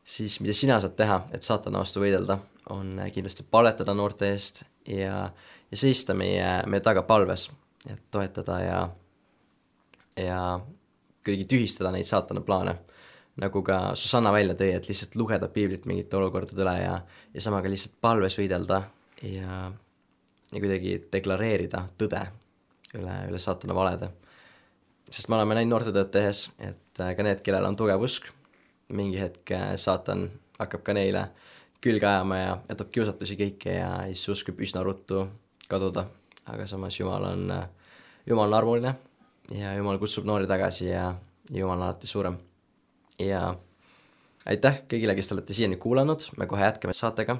siis mida sina saad teha, et saatana vastu võidelda, on kindlasti palvetada noorte eest ja, ja seista meie, meie taga palves, et toetada ja, ja kuidagi tühistada neid saatana plaane. Nagu ka Susanna välja tõi, et lihtsalt lugeda piiblit mingite olukordade üle ja, ja samaga lihtsalt palves võidelda ja, ja kuidagi deklareerida tõde üle, üle saatana valede. Sest me oleme näinud noortetööd tehes, et ka need, kellel on tugev usk, mingi hetk saatan hakkab ka neile külge ajama ja jätab kiusatusi kõike ja siis usk võib üsna ruttu kaduda. Aga samas Jumal on, Jumal on armuline ja Jumal kutsub noori tagasi ja Jumal on alati suurem. Ja aitäh kõigile, kes te olete siiani kuulanud, me kohe jätkame saatega,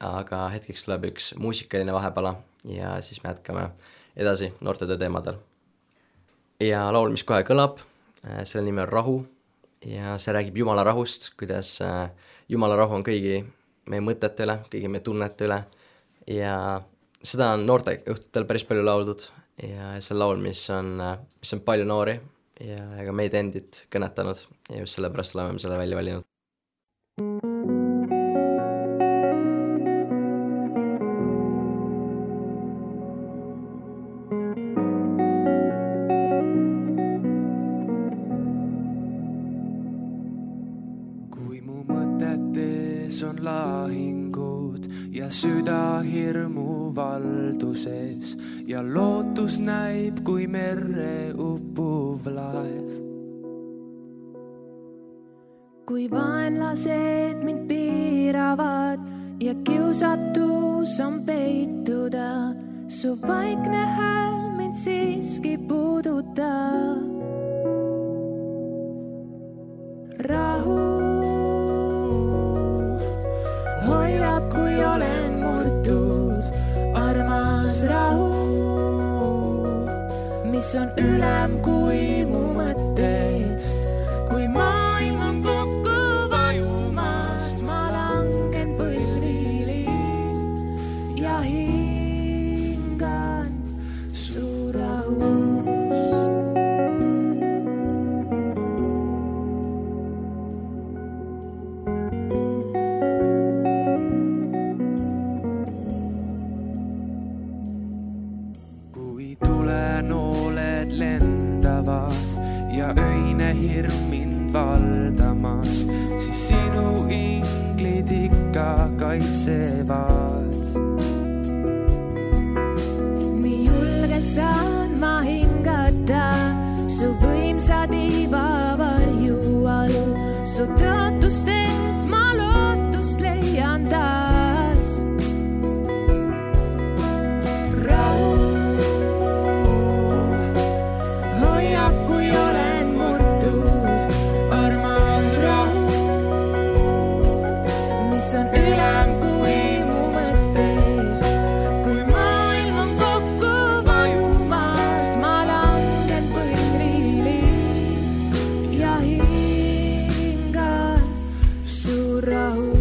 aga hetkeks tuleb üks muusikaline vahepala ja siis me jätkame edasi noortetöö teemadel. Ja laul, mis kohe kõlab, selle nimi on Rahu ja see räägib Jumala rahust, kuidas Jumala rahu on kõigi meie mõtete üle, kõigi meie tunnete üle ja seda on noorte õhtutel päris palju lauldud ja see laul, mis on, mis on palju noori ja ega meid endid kõnetanud ja just sellepärast oleme selle välja valinud. Kui mu mõtetes on lahingud ja süda hirmu valduses ja lootus näib kui merre uppuv laev. Kui vaenlased mind piiravad ja kiusatus on peituda, su vaikne hääl mind siiski puudutab. Rahu hoiab, kui olen murtud, armas rahu, mis on ülem kui mu mõtteid. Kui maailm on kokku vajumas, ma langen põlvili ja hingan su rahus. Kui tulenooled lendavad ja öine hirm mind valdamas, siis sinu inglid ikka kaitsevad. Nii julgelt saan ma hingata su võimsa tiiva varju all, su tõotustes ma lootust leian taas. Rahu hoiab, kui olen murtud, armas rahu, mis on ülem kui mu mõtteid. Kui maailm on kokku vajumas, ma langen põlvili ja hingan su rahus.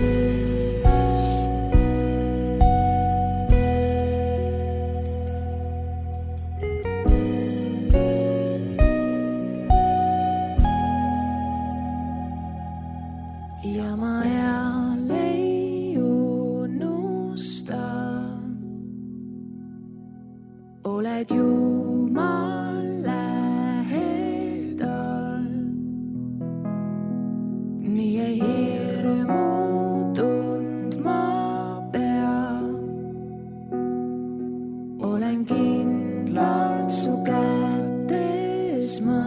Ja ma jälle ei unusta, oled Jumal lähedal. Nii ei hirmu tundma pea, olen kindlalt su kätes ma.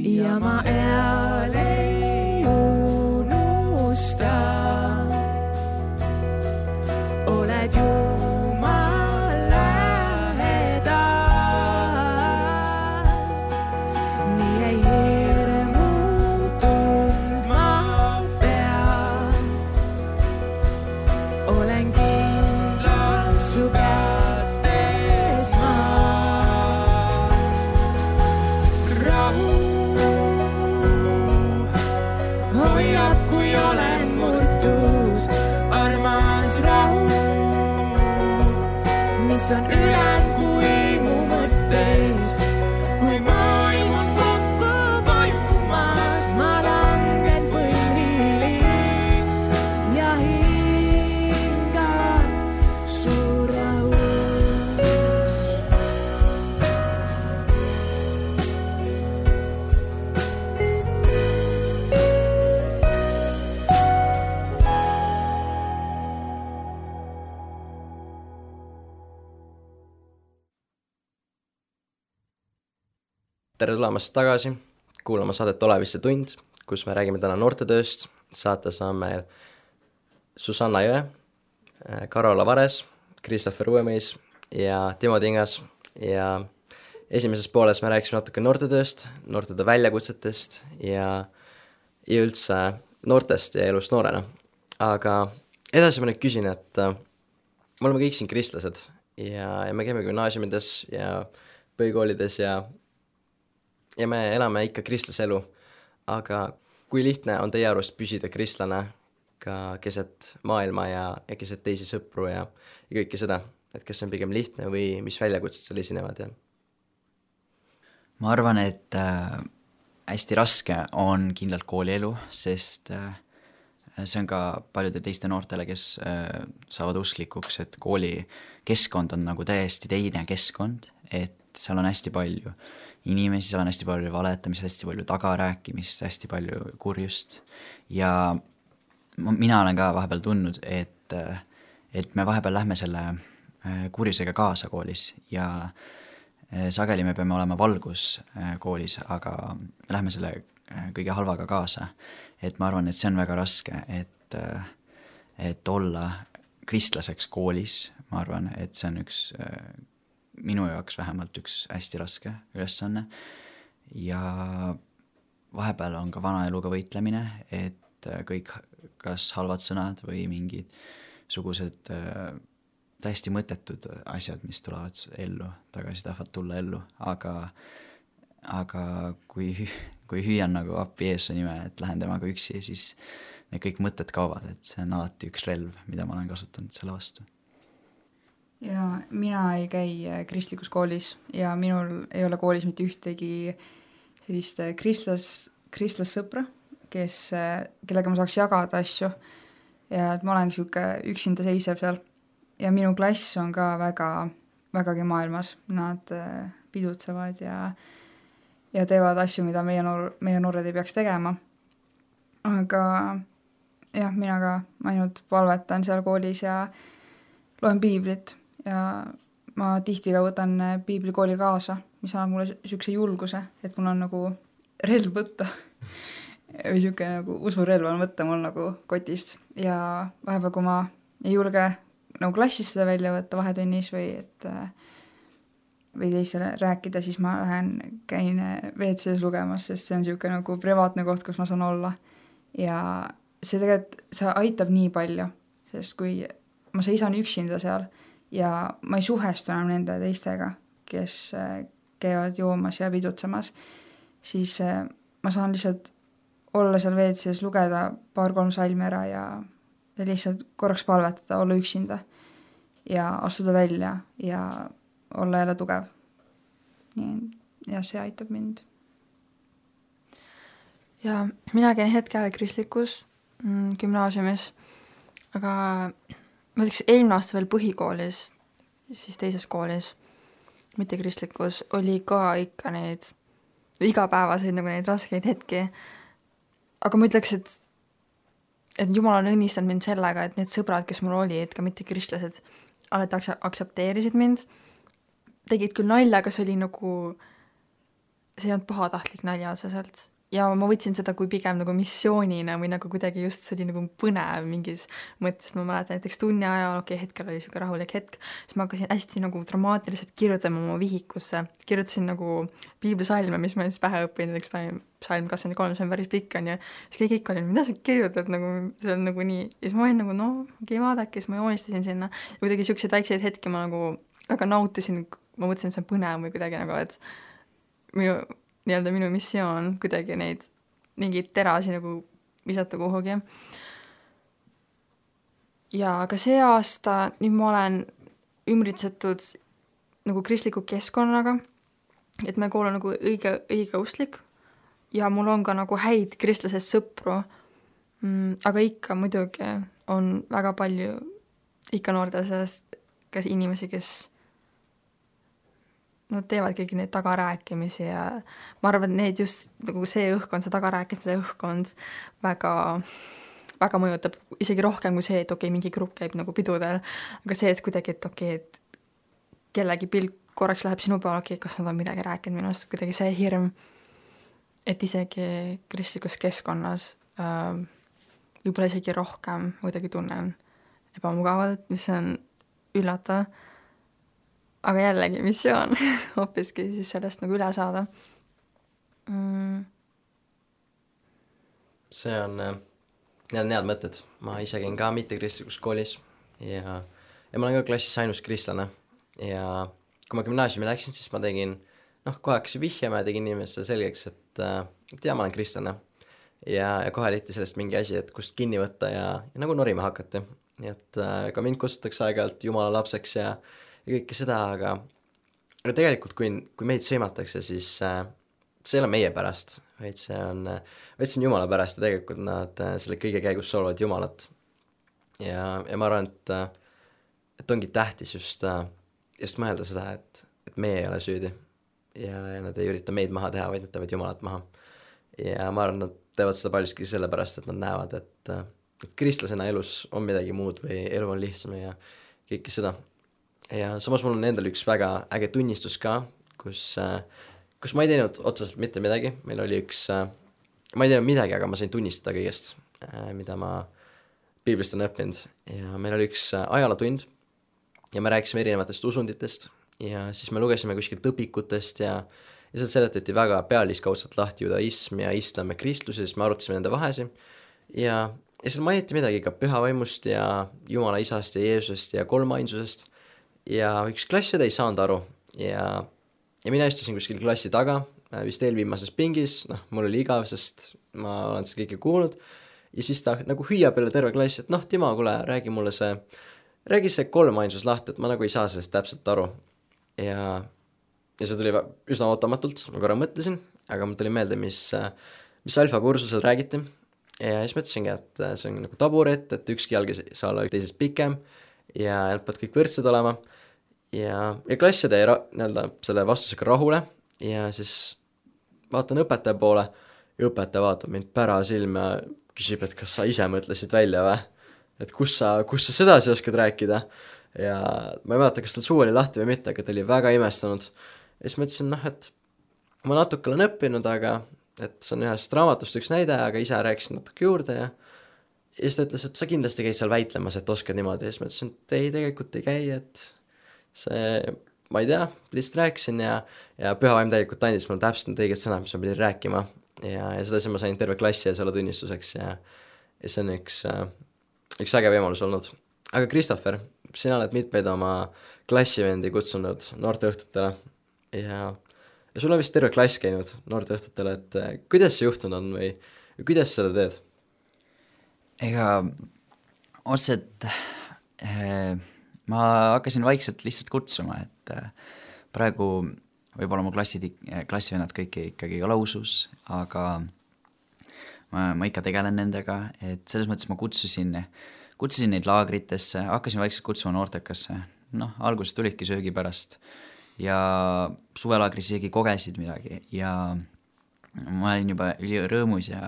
Ja ma eal ei unusta, oled Jumal lähedal. Nii ei hirmu tundma pea, olen kindlalt su kätes ma. Rahu hoiab, kui olen murtud, armas rahu, mis on ülem kui mu mõtteid. Kui maailm on kokku vajumas, ma langen tere tulemast tagasi kuulama saadet Oleviste tund, kus me räägime täna noortetööst. Saates on meil Susanna Jõe, Karola Vares, Christopher Uuemeis ja Timo Tingas. Ja esimeses pooles me rääkisime natuke noortetööst, noortetöö väljakutsetest ja, ja üldse noortest ja elust noorena. Aga edasi ma nüüd küsin, et me oleme kõik siin kristlased ja, ja me käime gümnaasiumides ja põhikoolides ja, ja me elame ikka kristlase elu. Aga kui lihtne on teie arust püsida kristlane ka keset maailma ja, ja keset teisi sõpru ja, ja kõike seda, et kas see on pigem lihtne või mis väljakutsed seal esinevad? Ja? Ma arvan, et äh, hästi raske on kindlalt koolielu, sest äh, see on ka paljude teiste noortele, kes äh, saavad usklikuks, et kooli keskkond on nagu täiesti teine keskkond, et seal on hästi palju inimesi, seal on hästi palju valetamist, hästi palju tagarääkimist, hästi palju kurjust ja mina olen ka vahepeal tundnud, et, et me vahepeal lähme selle kurjusega kaasa koolis ja sageli me peame olema valgus koolis, aga me lähme selle kõige halvaga kaasa. Et ma arvan, et see on väga raske, et, et olla kristlaseks koolis, ma arvan, et see on üks, minu jaoks vähemalt üks hästi raske ülesanne. Ja vahepeal on ka vana eluga võitlemine, et kõik kas halvad sõnad või mingid sugused täiesti mõttetud asjad, mis tulevad ellu, tagasi tahavad tulla ellu, aga, aga kui, kui hüüan nagu appi Jeesuse nime, et lähen temaga üksi, siis need kõik mõtted kaovad, et see on alati üks relv, mida ma olen kasutanud selle vastu. Ja mina ei käi kristlikus koolis ja minul ei ole koolis mitte ühtegi sellist kristlas, kristlassõpra, kes, kellega ma saaks jagada asju ja et ma olen siuke üksinda seisev seal. Ja minu klass on ka väga, vägagi maailmas. Nad pidutsevad ja, ja teevad asju, mida meie, noor, meie noored ei peaks tegema. Aga jah, mina ka ainult palvetan seal koolis ja loen piiblit ja ma tihti ka võtan piiblikooli kaasa, mis annab mulle siukse julguse, et mul on nagu relv võtta või siuke nagu usurelv on võtta mul nagu kotist ja vahepeal, kui ma ei julge nagu klassis seda välja võtta vahetunnis või et või teisele rääkida, siis ma lähen, käin V C S lugemas, sest see on siuke nagu privaatne koht, kus ma saan olla ja see tegelikult, see aitab nii palju, sest kui ma seisan üksinda seal ja ma ei suhestu enam nende teistega, kes käivad joomas ja pidutsemas, siis ma saan lihtsalt olla seal V C S, lugeda paar-kolm salmi ära ja ja lihtsalt korraks palvetada, olla üksinda ja astuda välja ja olla jälle tugev. Ja see aitab mind. Ja mina käin hetkel kristlikus mm, gümnaasiumis, aga ma ütleks eelmine aasta veel põhikoolis, siis teises koolis, mitte kristlikus, oli ka ikka neid igapäevaseid nagu neid raskeid hetki. Aga ma ütleks, et et Jumal on õnnistanud mind sellega, et need sõbrad, kes mul oli, et ka mitte kristlased, alati aksepteerisid mind, tegid küll nalja, aga see oli nagu, see ei olnud pahatahtlik nalja otseselt. Ja ma võtsin seda kui pigem nagu missioonina või nagu kuidagi just see oli nagu põnev mingis mõttes. Ma mäletan näiteks tunni ajal, okei, okay, hetkel oli siuke rahulik hetk, siis ma hakkasin hästi nagu dramaatiliselt kirjutama oma vihikusse. Kirjutasin nagu piiblisalme, mis ma siis pähe õppinud, näiteks psalm kakskümmend kolm, see on päris pikk on ja siis kõik ikka oli, mida sa kirjutad, nagu see on nagu nii. Ja siis ma olin nagu, no, okei, vaadake, siis ma joonistasin sinna. Ja kuidagi siukseid väikseid hetki ma nagu väga nautisin, ma mõtlesin, et see on põnev või kuidagi nagu, et minu nii-öelda minu missioon kuidagi neid mingeid terasi nagu visata kuhugi. Ja ka see aasta nüüd ma olen ümbritsetud nagu kristliku keskkonnaga, et meie kool on nagu õige, õige ustlik ja mul on ka nagu häid kristlasest sõpru, mm, aga ikka muidugi on väga palju ikka noorte seast kas inimesi, kes nad teevad kõigi neid tagarääkimisi ja ma arvan, et need just nagu see õhkkond, see tagarääkimise õhkkond väga, väga mõjutab isegi rohkem kui see, et okei, okay, mingi grupp käib nagu pidudel, aga see, et kuidagi, et okei, okay, et kellegi pilk korraks läheb sinu peale, okei, kas nad on midagi rääkinud minust, kuidagi see hirm, et isegi kristlikus keskkonnas äh, võib-olla isegi rohkem kuidagi tunnen ebamugavalt, mis on üllatav, aga jällegi missioon hoopiski siis sellest nagu üle saada mm.. see on, need on head mõtted, ma ise käin ka mittekristlikus koolis ja, ja ma olen ka klassis ainus kristlane ja kui ma gümnaasiumi läksin, siis ma tegin, noh, kohe hakkasin vihjama ja tegin inimestele selgeks, et, et jaa, ma olen kristlane ja, ja kohe leiti sellest mingi asi, et kust kinni võtta ja, ja nagu norima hakati. Nii et äh, ka mind kutsutakse aeg-ajalt jumala lapseks ja, ja kõike seda, aga, aga tegelikult kui, kui meid sõimatakse, siis äh, see ei ole meie pärast, vaid see on, vaid see on jumala pärast ja tegelikult nad äh, selle kõige käigus solvavad jumalat. Ja, ja ma arvan, et, et ongi tähtis just, äh, just mõelda seda, et, et meie ei ole süüdi ja, ja nad ei ürita meid maha teha, vaid nad teevad jumalat maha. Ja ma arvan, nad teevad seda paljuski sellepärast, et nad näevad, et äh, kristlasena elus on midagi muud või elu on lihtsam ja kõike seda. Ja samas mul on endal üks väga äge tunnistus ka, kus, kus ma ei teinud otseselt mitte midagi. Meil oli üks, ma ei teinud midagi, aga ma sain tunnistada kõigest, mida ma piiblist on õppinud. Ja meil oli üks ajalootund ja me rääkisime erinevatest usunditest ja siis me lugesime kuskilt õpikutest ja, ja seal seletati väga pealiskaudselt lahti judaism ja islam ja kristlus ja siis me arutasime nende vahesi ja Ja seal mainiti midagi ka pühavaimust ja Jumala isast ja Jeesusest ja kolmainsusest ja üks klass seda ei saanud aru ja, ja mina istusin kuskil klassi taga, vist eelviimases pingis, noh, mul oli igav, sest ma olen seda kõike kuulnud ja siis ta nagu hüüab jälle terve klass, et noh, Timo, kuule, räägi mulle see, räägi see kolmainsus lahti, et ma nagu ei saa sellest täpselt aru ja, ja see tuli üsna ootamatult, ma korra mõtlesin, aga mul tuli meelde, mis, mis alfa kursusel räägiti. Ja siis mõtlesingi, et see on nagu taburet, et ükski jalg ei saa olla teisest pikem ja nad peavad kõik võrdsed olema ja, ja klass jäi ra- nii-öelda selle vastusega rahule ja siis vaatan õpetaja poole ja õpetaja vaatab mind pärasilma ja küsib, et kas sa ise mõtlesid välja või, et kus sa, kus sa sedasi oskad rääkida ja ma ei mäleta, kas tal suu oli lahti või mitte, aga ta oli väga imestunud ja siis mõtlesin, noh, et ma natuke olen õppinud, aga et see on ühest raamatust üks näide, aga ise rääkisin natuke juurde ja ja siis ta ütles, et sa kindlasti käid seal väitlemas, et oskad niimoodi ja siis ma ütlesin, et ei, tegelikult ei käi, et see, ma ei tea, lihtsalt rääkisin ja, ja pühavaim tegelikult andis mulle täpselt need õiged sõnad, mis ma pidin rääkima ja, ja seda siis ma sain terve klassi ja selle tunnistuseks ja, ja see on üks, üks äge võimalus olnud. Aga Christopher, sina oled mitmeid oma klassivendi kutsunud noorteõhtutele ja Ja sul on vist terve klass käinud noorteõhtutele, et kuidas see juhtunud on või, või kuidas seda teed? Ega otseselt eh, ma hakkasin vaikselt lihtsalt kutsuma, et eh, praegu võib-olla mu klassid, klassivennad kõik ikkagi ei ole usus, aga ma, ma ikka tegelen nendega, et selles mõttes ma kutsusin, kutsusin neid laagritesse, hakkasin vaikselt kutsuma noortekasse, noh, alguses tulidki söögi pärast ja suvelaagris isegi kogesid midagi ja ma olin juba üli rõõmus ja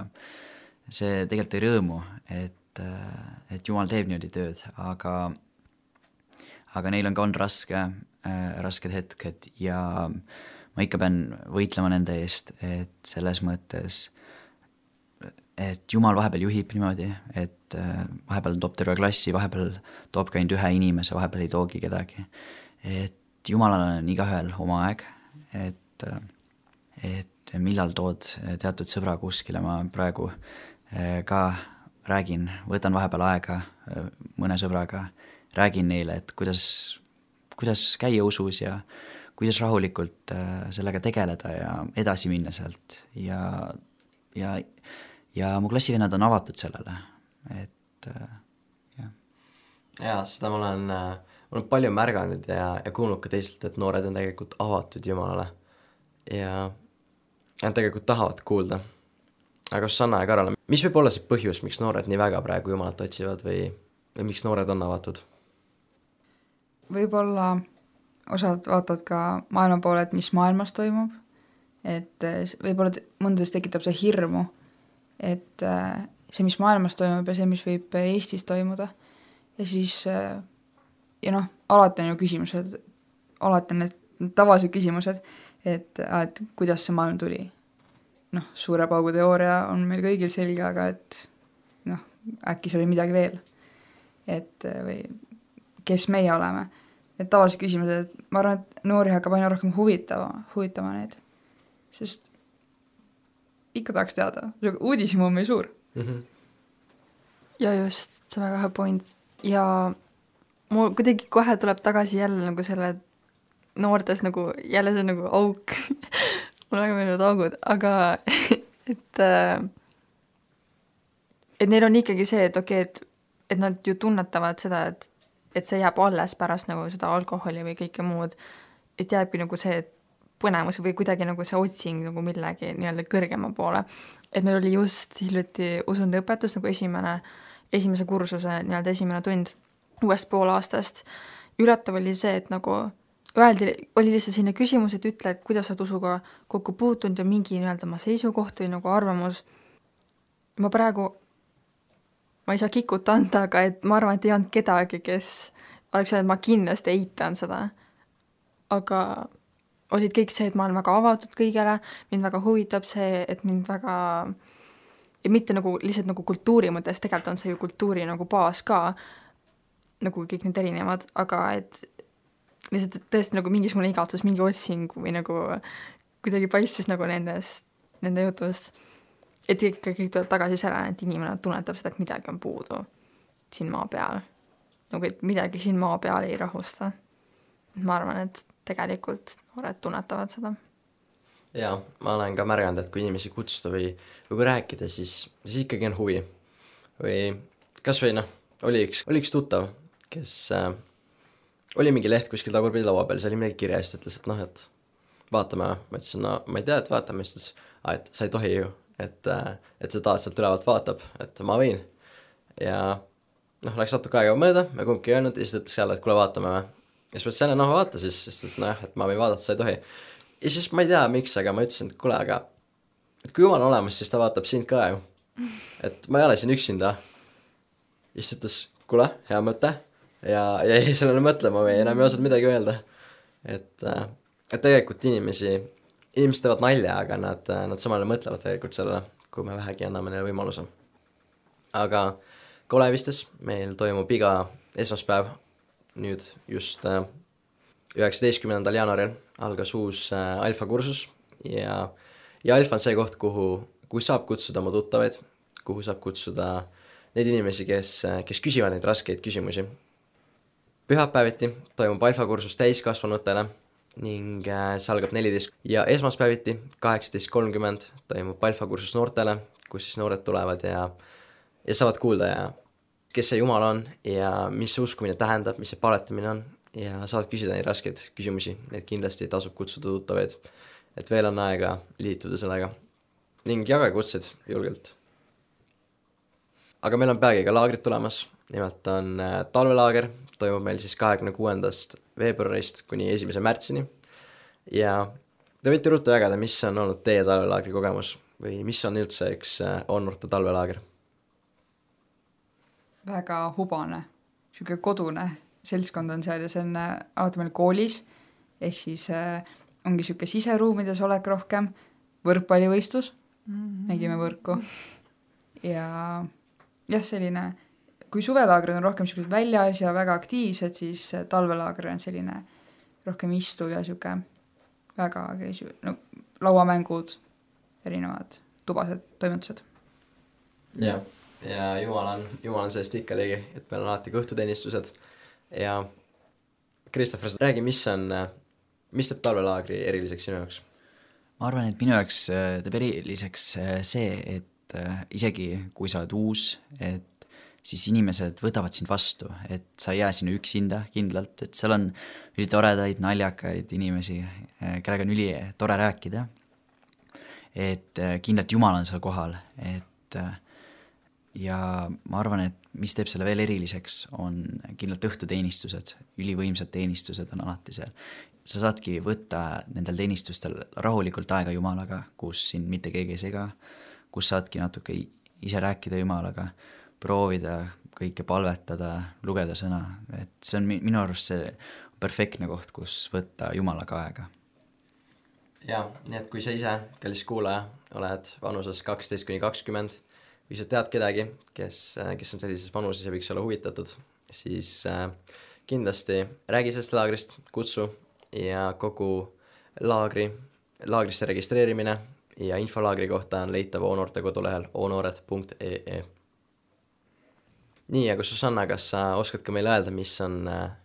see tegelikult ei rõõmu, et, et Jumal teeb niimoodi tööd, aga, aga neil on ka on raske, äh, rasked hetked ja ma ikka pean võitlema nende eest, et selles mõttes, et Jumal vahepeal juhib niimoodi, et äh, vahepeal toob terve klassi, vahepeal toob ka ainult ühe inimese, vahepeal ei toogi kedagi, et Jumalal on igaühel oma aeg, et, et millal tood teatud sõbra kuskile, ma praegu ka räägin, võtan vahepeal aega mõne sõbraga, räägin neile, et kuidas, kuidas käia usus ja kuidas rahulikult sellega tegeleda ja edasi minna sealt ja, ja, ja mu klassivennad on avatud sellele, et jah. Jaa, seda ma olen... ma olen palju märganud ja, ja kuulnud ka teistelt, et noored on tegelikult avatud Jumalale ja nad tegelikult tahavad kuulda. Aga Susanna ja Karol, mis võib olla see põhjus, miks noored nii väga praegu Jumalat otsivad või, või miks noored on avatud? Võib-olla osad vaatavad ka maailma poole, et mis maailmas toimub, et võib-olla mõndades tekitab see hirmu, et see, mis maailmas toimub ja see, mis võib Eestis toimuda ja siis ja noh, alati on ju küsimused, alati on need tavalised küsimused, et, et kuidas see maailm tuli. Noh, suure paugu teooria on meil kõigil selge, aga et noh, äkki see oli midagi veel. Et või kes meie oleme. Et tavalised küsimused, et ma arvan, et noori hakkab aina rohkem huvitama, huvitama need. Sest ikka tahaks teada, uudishimu on meil suur. Mm-hmm. Ja just, see on väga hea point. Ja mul kuidagi kohe tuleb tagasi jälle nagu selle noortes nagu, jälle see nagu auk. mul väga meeldivad augud, aga et, et neil on ikkagi see, et okei, et, et nad ju tunnetavad seda, et, et see jääb alles pärast nagu seda alkoholi või kõike muud, et jääbki nagu see põnemus või kuidagi nagu see otsing nagu millegi nii-öelda kõrgema poole. Et meil oli just hiljuti usundiõpetus nagu esimene, esimese kursuse nii-öelda esimene tund uuest pool aastast. Ületav oli see, et nagu öeldi, oli lihtsalt selline küsimus, et ütle, et kuidas sa usuga kokku puutunud ja mingi nii-öelda ma seisukoht või nagu arvamus. Ma praegu, ma ei saa kikut anda, aga et ma arvan, et ei olnud kedagi, kes oleks öelnud, et ma kindlasti eitan seda. Aga olid kõik see, et ma olen väga avatud kõigele, mind väga huvitab see, et mind väga, ja mitte nagu lihtsalt nagu kultuuri mõttes, tegelikult on see ju kultuuri nagu baas ka, nagu kõik need erinevad, aga et lihtsalt tõesti nagu mingisugune igatsus, mingi otsing või nagu kuidagi paistis nagu nendest, nende jutust, et kõik, kõik tuleb tagasi selle, et inimene tunnetab seda, et midagi on puudu siin maa peal. Nagu et midagi siin maa peal ei rahusta. Ma arvan, et tegelikult noored tunnetavad seda. Jaa, ma olen ka märganud, et kui inimesi kutsuda või, või kui rääkida, siis, siis ikkagi on huvi. Või kas või noh, oli üks, oli üks tuttav, kes äh, oli mingi leht kuskil tagurpidi laua peal, see oli midagi kirja, siis ütles, et noh, et vaatame, ma ütlesin, no ma ei tea, et vaatame, siis ütles, et sa ei tohi ju, et, äh, et see taas sealt ülevalt vaatab, et ma võin. Ja noh, läks natuke aega mööda, me kumbki ei öelnud, ja siis ütles jälle, et kuule vaatame või. Ja siis mõtlesin, noh vaata siis, sest noh, et ma võin vaadata, sa ei tohi. Ja siis ma ei tea, miks, aga ma ütlesin, et kuule, aga et kui Jumal on olemas, siis ta vaatab sind ka ju. Et ma ei ole siin üksinda. Ja siis ütles, kuule, hea mõte. Ja, ja ei sellele mõtlema või enam ei osanud midagi öelda. Et, et tegelikult inimesi, inimesed teevad nalja, aga nad, nad samale mõtlevad tegelikult sellele, kui me vähegi anname neile võimaluse. Aga Kolevistes meil toimub iga esmaspäev nüüd just üheksateistkümnendal jaanuaril algas uus alfa kursus ja, ja alfa on see koht, kuhu, kuhu saab kutsuda oma tuttavaid, kuhu saab kutsuda neid inimesi, kes, kes küsivad neid raskeid küsimusi. Pühapäeviti toimub alfa kursus täiskasvanutele ning see algab neliteist ja esmaspäeviti kaheksateist kolmkümmend toimub alfa kursus noortele, kus siis noored tulevad ja, ja saavad kuulda ja kes see Jumal on ja mis see uskumine tähendab, mis see paletamine on ja saavad küsida neid raskeid küsimusi, neid kindlasti tasub kutsuda tuttavaid, et veel on aega liituda sellega ning jagage kutseid julgelt. Aga meil on peagi ka laagrid tulemas, nimelt on talvelaager, toimub meil siis kahekümne kuuendast veebruarist kuni esimese märtsini ja te võite ruttu jagada, mis on olnud teie talvelaagri kogemus või mis on üldse üks onnoorte talvelaager. Väga hubane, siuke kodune seltskond on seal ja see on alati meil koolis, ehk siis äh, ongi siuke siseruumides olek rohkem, võrkpallivõistlus, mm-hmm. nägime võrku ja jah, selline, kui suvelaagrid on rohkem siuksed väljas ja väga aktiivsed, siis talvelaager on selline rohkem istuv ja siuke väga no, lauamängud, erinevad tubased toimetused. Jah. Ja Jumal on, Jumal on sellest ikka ligi, et meil on alati kõhtuteenistused ja Kristoffer, räägi, mis on, mis teeb talvelaagri eriliseks sinu jaoks? Ma arvan, et minu jaoks teeb eriliseks see, et isegi kui sa oled uus, et siis inimesed võtavad sind vastu, et sa ei jää sinna üksinda kindlalt, et seal on üli toredaid, naljakaid inimesi, kellega on üli tore rääkida, et kindlalt Jumal on seal kohal, et ja ma arvan, et mis teeb selle veel eriliseks, on kindlalt õhtuteenistused, ülivõimsad teenistused on alati seal. Sa saadki võtta nendel teenistustel rahulikult aega Jumalaga, kus sind mitte keegi ei sega, kus saadki natuke ise rääkida Jumalaga, proovida kõike palvetada, lugeda sõna, et see on minu arust see perfektne koht, kus võtta Jumalaga aega. Jaa, nii et kui sa ise, kallis kuulaja, oled vanuses kaksteist kuni kakskümmend või sa tead kedagi, kes, kes on sellises vanuses ja võiks olla huvitatud, siis äh, kindlasti räägi sellest laagrist, kutsu ja kogu laagri, laagrisse registreerimine ja info laagri kohta on leitav O-noorte kodulehel onoored punkt ee e. Nii, aga Susanna, kas sa oskad ka meile öelda, mis on,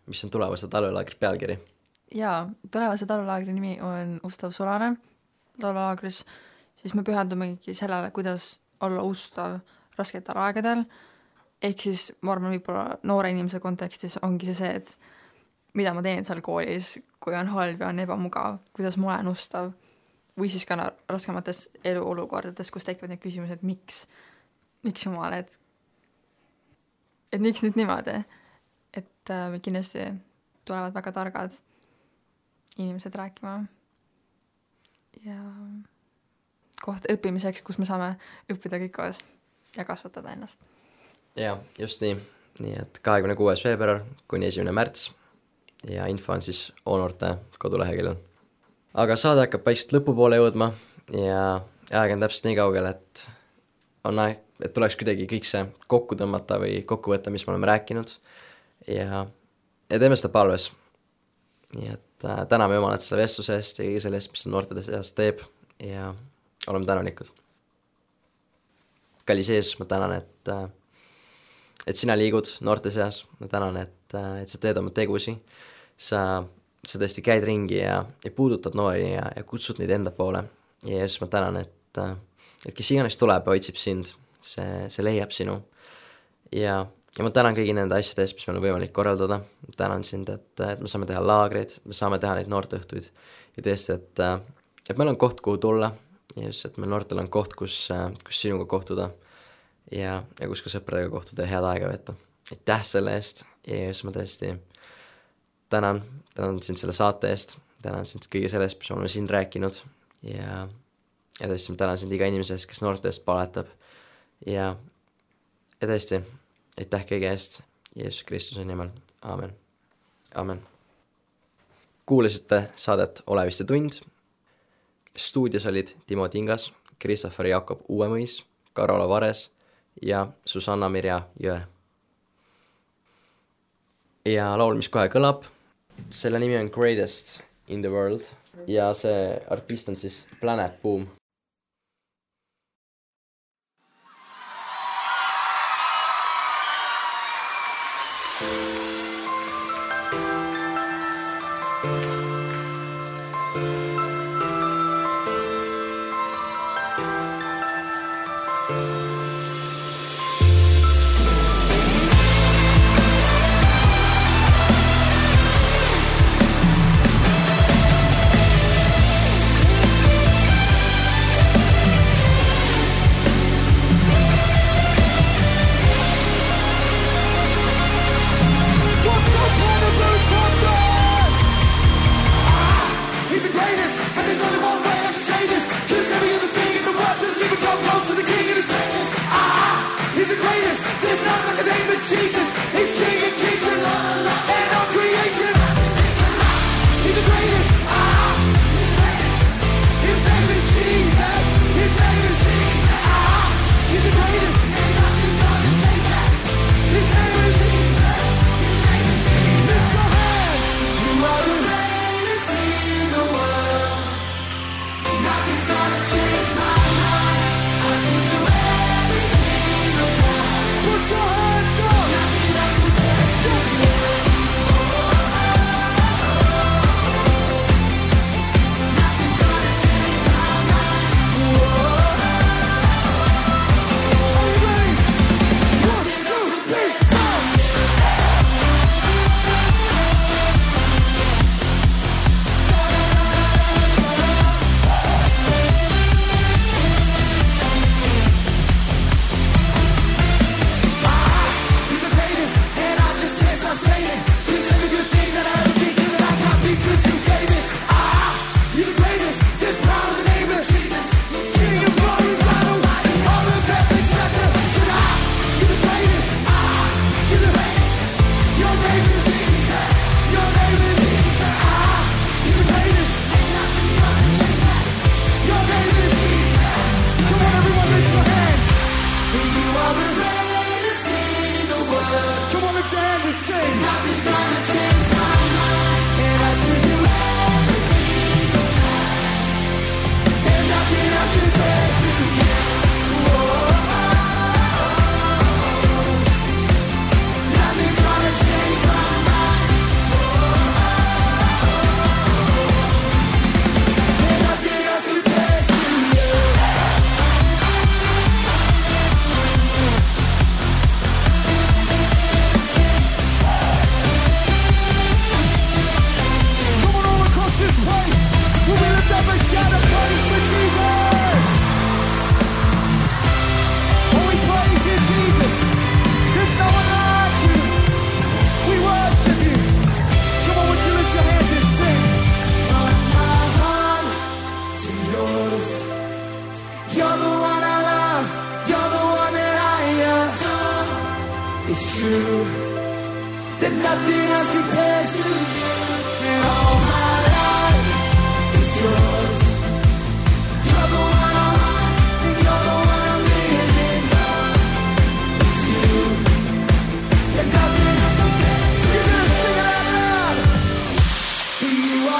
mis on tulevase talvelaagri pealkiri? Jaa, tulevase talvelaagri nimi on Ustav sulane talvelaagris, siis me pühendumegi sellele, kuidas olla ustav rasketel aegadel, ehk siis ma arvan, võib-olla noore inimese kontekstis ongi see see, et mida ma teen seal koolis, kui on halb ja on ebamugav, kuidas ma olen ustav, või siis ka raskemates eluolukordades, kus tekivad need küsimused, miks, miks Jumal, et et miks nüüd niimoodi, et äh, kindlasti tulevad väga targad inimesed rääkima ja koht õppimiseks, kus me saame õppida kõik koos ja kasvatada ennast. Jaa, just nii. Nii et kahekümne kuues veebruar kuni esimene märts ja info on siis O-noorte koduleheküljel. Aga saade hakkab paikselt lõpupoole jõudma ja aeg on täpselt nii kaugel, et on aeg, et tuleks kuidagi kõik see kokku tõmmata või kokku võtta, mis me oleme rääkinud ja, ja teeme seda palves. Nii et äh, täname Jumalat selle vestluse eest ja kõige selle eest, mis ta noortede seas teeb ja oleme tänanikud. Kallis Jeesus, ma tänan, et, äh, et sina liigud noorte seas, ma tänan, et, äh, et sa teed oma tegusi, sa, sa tõesti käid ringi ja, ja puudutad noori ja, ja kutsud neid enda poole ja Jeesus, ma tänan, et, äh, et kes iganes tuleb ja otsib sind, see, see leiab sinu ja, ja ma tänan kõigi nende asjade eest, mis meil on võimalik korraldada, ma tänan sind, et, et me saame teha laagreid, me saame teha neid noorteõhtuid ja tõesti, et, et meil on koht, kuhu tulla ja just, et meil noortel on koht, kus, kus sinuga kohtuda ja, ja kus ka sõpradega kohtuda ja head aega võtta. Aitäh selle eest ja just ma tõesti tänan, tänan sind selle saate eest, tänan sind kõige selle eest, mis oleme siin rääkinud ja ja tõesti, ma tänan sind iga inimese eest, kes noorte eest paletab ja, ja tõesti, aitäh kõige eest Jeesus Kristuse nimel, aamen, aamen. Kuulasite saadet Oleviste tund, stuudios olid Timo Tingas, Christopher Jakob Uuemõis, Karola Vares ja Susanna Mirja Jõe. Ja laul, mis kohe kõlab, selle nimi on Greatest in the World ja see artist on siis Planet Boom.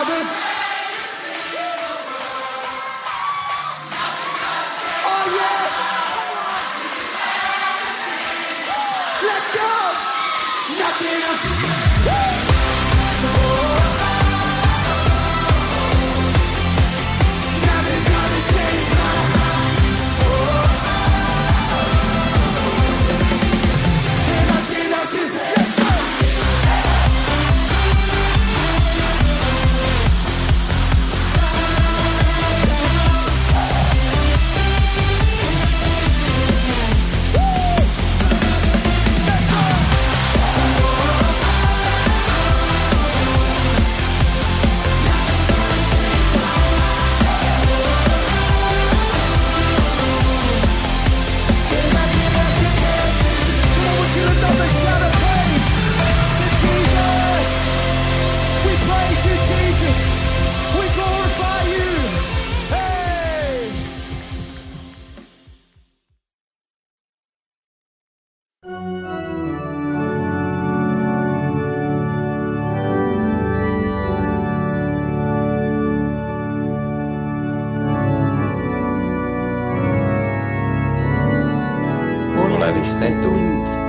other. Oh yeah! Let's go! Nothing else. Nothing's gonna change my mind. Nothing else. Let's go! Oleviste tund.